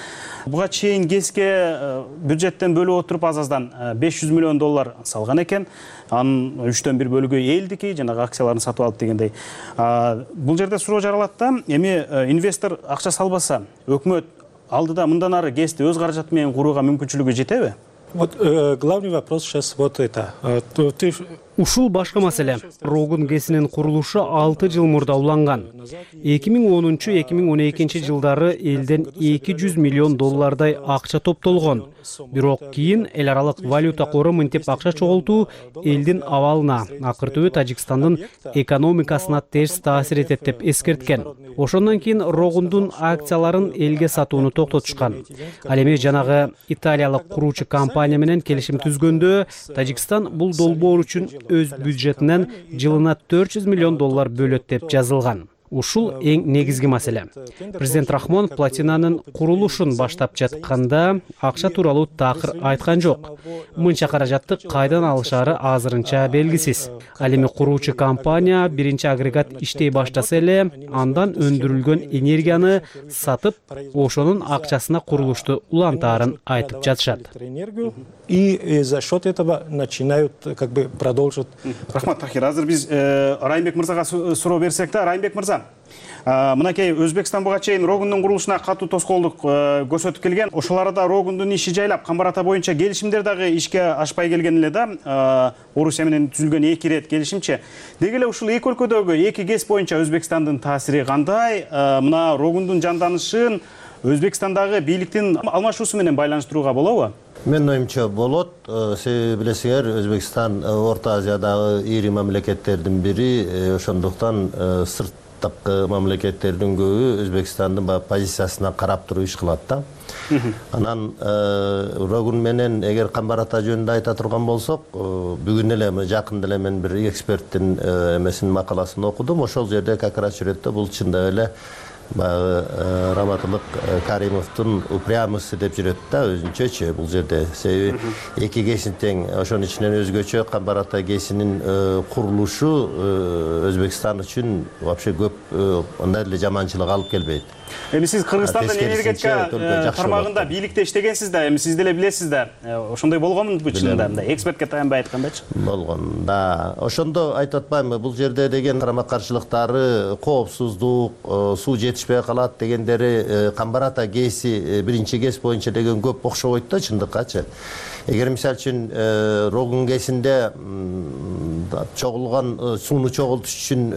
Буга чейин ГЭСке бюджеттен бөлүп отуруп аз-аздан беш жүз миллион доллар салган экен. Анын үчтөн бир бөлүгү элдики, жанагы акцияларын сатып алып дегендей. Бул жерде суроо жаралат да, эми инвестор акча салбаса, өкмөт алдыда мындан ары ГЭСти өз каражаты менен курууга мүмкүнчүлүгү жетеби? Вот э, главный вопрос сейчас вот это. Ты... Ушул башка маселе. Рогун ГЭСинин курулушу алты жыл мурда уланган. эки миң онунчу эки миң он экинчи жылдары элден эки жүз миллион доллардай акча топтолгон. Бирок кийин эл аралык валюта кору мынтип акча чогултуу элдин абалына, акыртыбы Тажикстандын экономикасына терс таасир этет деп эскерткен. Ошондон кийин Рогундун акцияларын элге сатууну токтотушкан. Ал эми жанагы италиялык куруучу компания менен келишим түзгөндө Тажикстан бул долбоор үчүн өз бюджетинен жылына төрт жүз миллион доллар бөлөт деп жазылган. Ушул эң негизги маселе. Президент Рахмон платинанын курулушун баштап жатканда акча тууралуу такыр айткан жок. Мынча каражатты кайдан алышары азырынча белгисиз. Ал эми куруучу компания биринчи агрегат иштей баштаса эле, андан өндүрүлгөн энергияны сатып, ошонун акчасына курулушту улантаарын айтып жатышат. И за счет этого начинают как бы продолжить. Рахмат, Тахир. Азыр биз Райымбек мырзага суроо берсек да, Райымбек мырза, мынакей Өзбекстан буга чейин Рогундун курулушуна катуу тоскоолдук көрсөтүп келген. Ошол арада Рогундун иши жайлап, Камбар ата боюнча келишимдер дагы ишке ашпай келген эле да. Орусия менен түзүлгөн эки ирет келишимче. Деги эле ушул эки өлкөдөгү эки ГЭС боюнча Өзбекстандын таасири кандай? Мына Рогундун жанданышын Өзбекстандагы бийликтин алмашуусу менен байланыштырууга болобу? Мен оюмча болот. Себеби билесиңер, Өзбекстан Орто Азиядагы ири мамлекеттердин бири, ошондуктан сырттагы мамлекеттердин көбү Өзбекстандын позициясына карап туруп иш кылат да. Анан Рогун менен эгер Камбар ата жөнүндө айта турган болсок, бүгүн эле жакында эле мен бир эксперттин эмесинин макаласын окудум. Ошол жерде как раз жүрөттө бул чындап эле баягы Раматылык Каримовдун упрямости деп жүрөт да өзүнчөчү бул жерде. Себеби эки кесин тең, ошонун ичинен өзгөчө Камбар Ата кесинин курулушу Өзбекстан үчүн вообще көп андай эле жаманчылык алып келбейт. Эми сиз Кыргызстандын энергетика тармагында бийликте иштегенсиз да, эми сиз деле билесиз да. Ошондой болгонбу чынында, мындай экспертке таянбай айткандачы? Болгон. Да, ошондо айтып атпаймынбы, бул жерде деген карама-каршылыктары, коопсуздук, суу жетишпей калат дегендери Камбар Ата ГЭСи биринчи ГЭС боюнча деген көп окшобойт да чындыккачы. Эгер мисалы үчүн Рогун ГЭСинде чогулган сууну чогултуш үчүн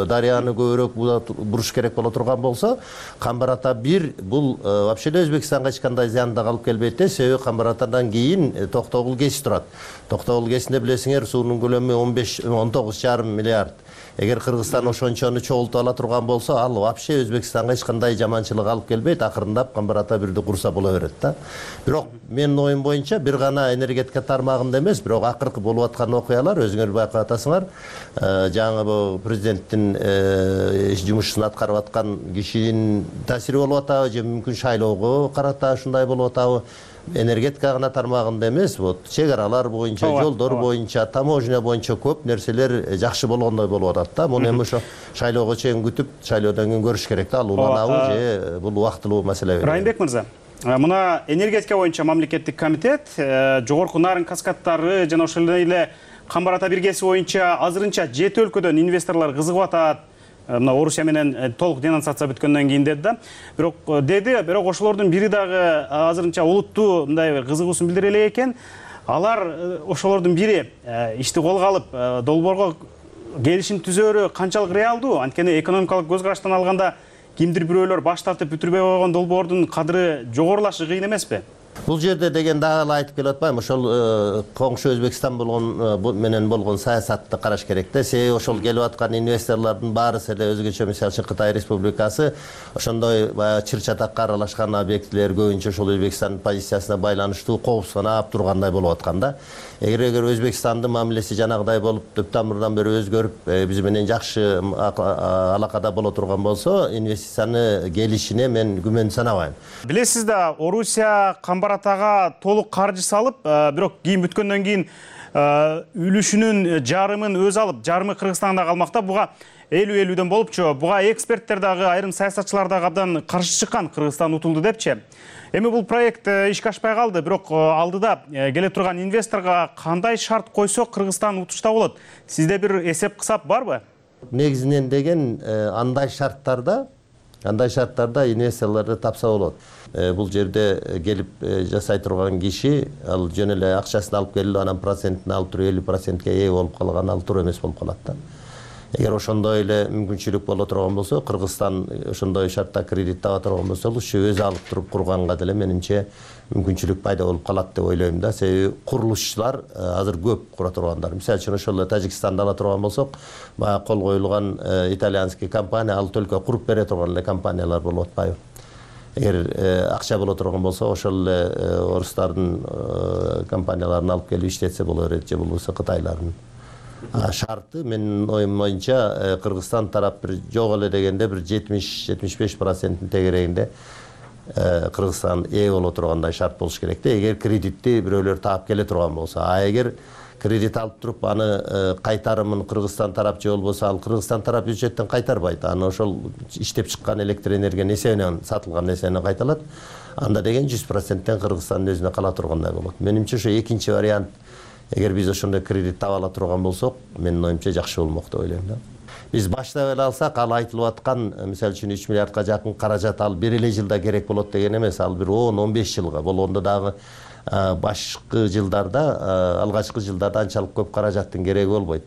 дарыяны көбүрөөк буруш керек боло турган болсо, Камбар Ата бир бул вообще эле Өзбекстанга эч кандай зыян да алып келбейт да, себеби Камбар Атадан кийин Токтогул ГЭСи турат. Токтогул ГЭСинде билесиңер суунун көлөмү он беш он тогуз жарым миллиард. Эгер Кыргызстан ошончону чогултуп ала турган болсо, ал вообще Өзбекстанга эч кандай жаманчылык алып келбейт, акырындап Камбар Ата бирди курса боло берет да. Бирок менин оюм боюнча бир гана энергетика тармагында эмес, бирок акыркы болуп аткан окуялар өзүңөр байкап атасыңар, жаңы бул президенттин жумушун аткарып аткан кишинин таасири болуп атабы же мүмкүн шайлоого карата ушундай болуп атабы? Энергетика гана тармагында эмес, вот чек аралар боюнча, жолдор боюнча, таможня боюнча көп нерселер жакшы болгондой болуп атат да. Муну эми ошо шайлоого чейин күтүп, шайлоодон кийин көрүш керек да, ал уланабы же бул убактылуу маселе. Райымбек мырза, мына энергетика боюнча мамлекеттик комитет, жогорку Нарын каскадтары жана ошол эле Камбар Ата биргеси боюнча азырынча жети өлкөдөн инвесторлор кызыгып атат. Мына Орусия менен толук денонсация бүткөндөн кийин деди да. Бирок деди, бирок ошолордун бири дагы азырынча улуттуу мындай кызыгуусун билдире элек экен. Алар ошолордун бири ишти колго алып долбоорго келишим түзөөрү канчалык реалдуу? Анткени экономикалык көз караштан алганда кимдир бирөөлөр баш тартып бүтүрбөй койгон долбоордун кадыры жогорулашы кыйын эмеспи? Бул жерде деген дагы эле айтып келип атпаймынбы, ошол коңшу Өзбекстан болгон менен болгон саясатты караш керек да. Себеби ошол келип аткан инвесторлордун баарысы эле өзгөчө, мисалы үчүн Кытай Республикасы ошондой баягы чыр-чатакка аралашкан объектилер көбүнчө ошол Өзбекстандын позициясына байланыштуу коопсузнап тургандай болуп аткан да. Эгер эгер Өзбекстандын мамилеси жанагыдай болуп, төп тамырдан бери өзгөрүп, биз менен жакшы алакада боло турган болсо, инвестицияны келишине мен күмөн санабайм. Билесиз да, Орусия Камбар Атага толук каржы салып, бирок кийин бүткөндөн кийин үлүшүнүн жарымын өз алып, жарымы Кыргызстанда калмакта. Буга элүү элүүдөн болупчу. Буга эксперттер дагы, айрым саясатчылар дагы абдан каршы чыккан, Кыргызстан утулду депчи. Эми бул проект ишке ашпай калды, бирок алдыда келе турган инвесторго кандай шарт койсо Кыргызстан утушта болот? Сизде бир эсеп-кысап барбы? Негизинен деген андай шарттарда Андай шарттарда инвесторлорду тапса болот. Бул жерде келип жасай турган киши ал жөн эле акчасын алып келип, анан процентин алып туруп элүү процентке ээ болуп калган, ал туура эмес болуп калат да. Эгер ошондой эле мүмкүнчүлүк боло турган болсо, Кыргызстан ошондой шартта кредит таба турган болсо, ушу өзү алып туруп курганга деле менимче мүмкүнчүлүк пайда болуп калат деп ойлойм да. Себеби курулушчулар азыр көп кура тургандар. Мисалы үчүн ошол эле Тажикстанды ала турган болсок, баягы кол коюлган итальянский компания, ал только куруп бере турган эле компаниялар болуп атпайбы? Эгер акча боло турган болсо, ошол эле орустардын компанияларын алып келип иштетсе боло берет, же болбосо Кытайлардын. Шарты менин оюм боюнча Кыргызстан тарап бир жок эле дегенде бир жетимиш жетимиш беш проценттин тегерегинде Кыргызстан ээ боло тургандай шарт болуш керек да. Эгер кредитти бирөөлөр таап келе турган болсо, а эгер кредит алып туруп аны кайтарымын Кыргызстан тарап же болбосо ал Кыргызстан тарап бюджеттен кайтарбайт, аны ошол иштеп чыккан электр энергиянын эсебинен, сатылган эсебинен кайталат, анда деген жүз проценттен Кыргызстандын өзүнө кала тургандай болот. Менимче ошо экинчи вариант. Эгер биз ошондой кредит таба ала турган болсок, менин оюмча жакшы болмок деп ойлойм да. Биз баштап эле алсак, ал айтылып аткан, мисалы үчүн үч миллиардка жакын каражат ал бир эле жылда керек болот деген эмес, ал бир он он беш жылга болгондо дагы башкы жылдарда, алгачкы жылдарда анчалык көп каражаттын кереги болбойт.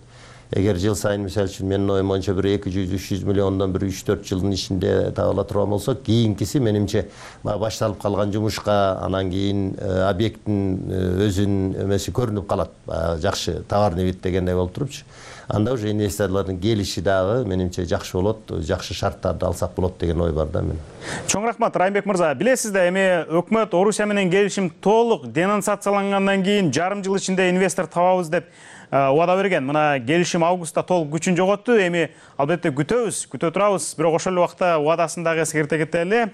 Эгер жыл сайын мисалы үчүн менин оюм боюнча бир эки жүз үч жүз миллиондон бир үч төрт жылдын ичинде таба ала турган болсок, кийинкиси менимче башталып калган жумушка, анан кийин объекттин өзүнүн эмеси көрүнүп калат. Жакшы товарный вид дегендей болуп турупчу. Анда уже инвесторлордун келиши дагы менимче жакшы болот, жакшы шарттарды алсак болот деген ой бар да мен. Чоң рахмат, Райымбек мырза. Билесиз да, эми өкмөт Орусия менен келишим толук денонсациялангандан кийин жарым жыл ичинде инвестор табабыз деп убада берген. Мына келишим августта толук күчүн жоготту. Эми албетте күтөбүз, күтө турабыз. Бирок ошол эле убакта убадасын дагы эскерте кетели.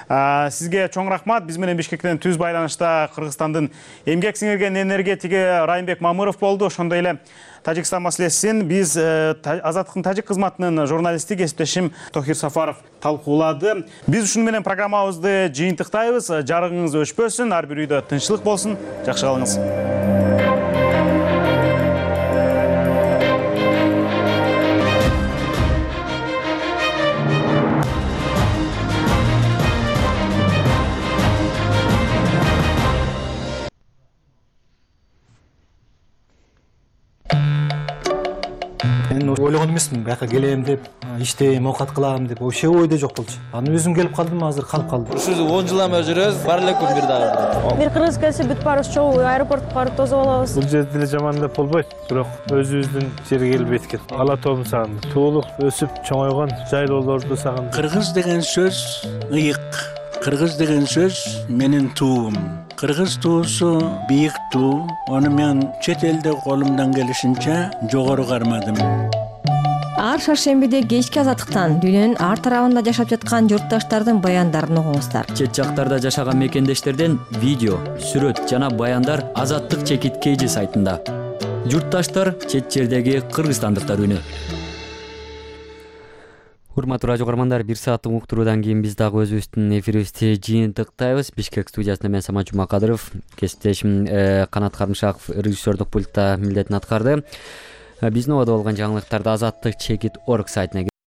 Сизге чоң рахмат. Биз менен Бишкектен түз байланышта Кыргызстандын эмгек сиңирген энергетиги Райымбек Мамыров болду. Ошондой эле Тажикстан маселесин биз Азаттыктын тажик кызматынын журналисти кесиптешим Тохир Сафаров талкуулады. Биз ушуну менен программабызды жыйынтыктайбыз. Жарыгыңыз өчпөсүн, ар бир үйдө тынччылык болсун. Жакшы калыңыз. Мен ойлогон эмесмин, бияка келем деп, иштейм, оокат кылам деп, вообще ойдо жок болчу. Аны өзүм келип калдым, азыр калып калдым. Ушул он жыл эме жүрөбүз, бар эле күн бир дагы. Бир кыргыз келсе бүт баарыбыз чогуу аэропортко барып тосуп алабыз. Бул жерде деле жаман деп болбойт, бирок өзүбүздүн жерге келип эткет. Ала тоом сагындым. Туулук, өсүп чоңойгон жайлоолорду сагындым. Кыргыз деген сөз ыйык. Кыргыз деген сөз менин туум. Кыргыз туусу бийик туу. Аны мен чет элде колумдан келишинче жогору кармадым. Ар шаршембиде кечки Азаттыктан дүйнөнүн ар тарабында жашап жаткан журтташтардын баяндарын угуңуздар. Чет жактарда жашаган мекендештерден видео, сүрөт жана баяндар Азаттык чекит кейжи сайтында. Журтташтар чет жердеги кыргызстандыктар үнү. Урматтуу радио көрөрмандар, бир сааттык уктуруудан кийин биз дагы өзүбүздүн эфирибизди жыйынтыктайбыз. Бишкек студиясында мен Самат Жумакадыров, кесиптешим Канат Карымшаков режиссердук пультта милдетин аткарды. Биздин убада болгон жаңылыктарды Азаттык чекит орг сайтына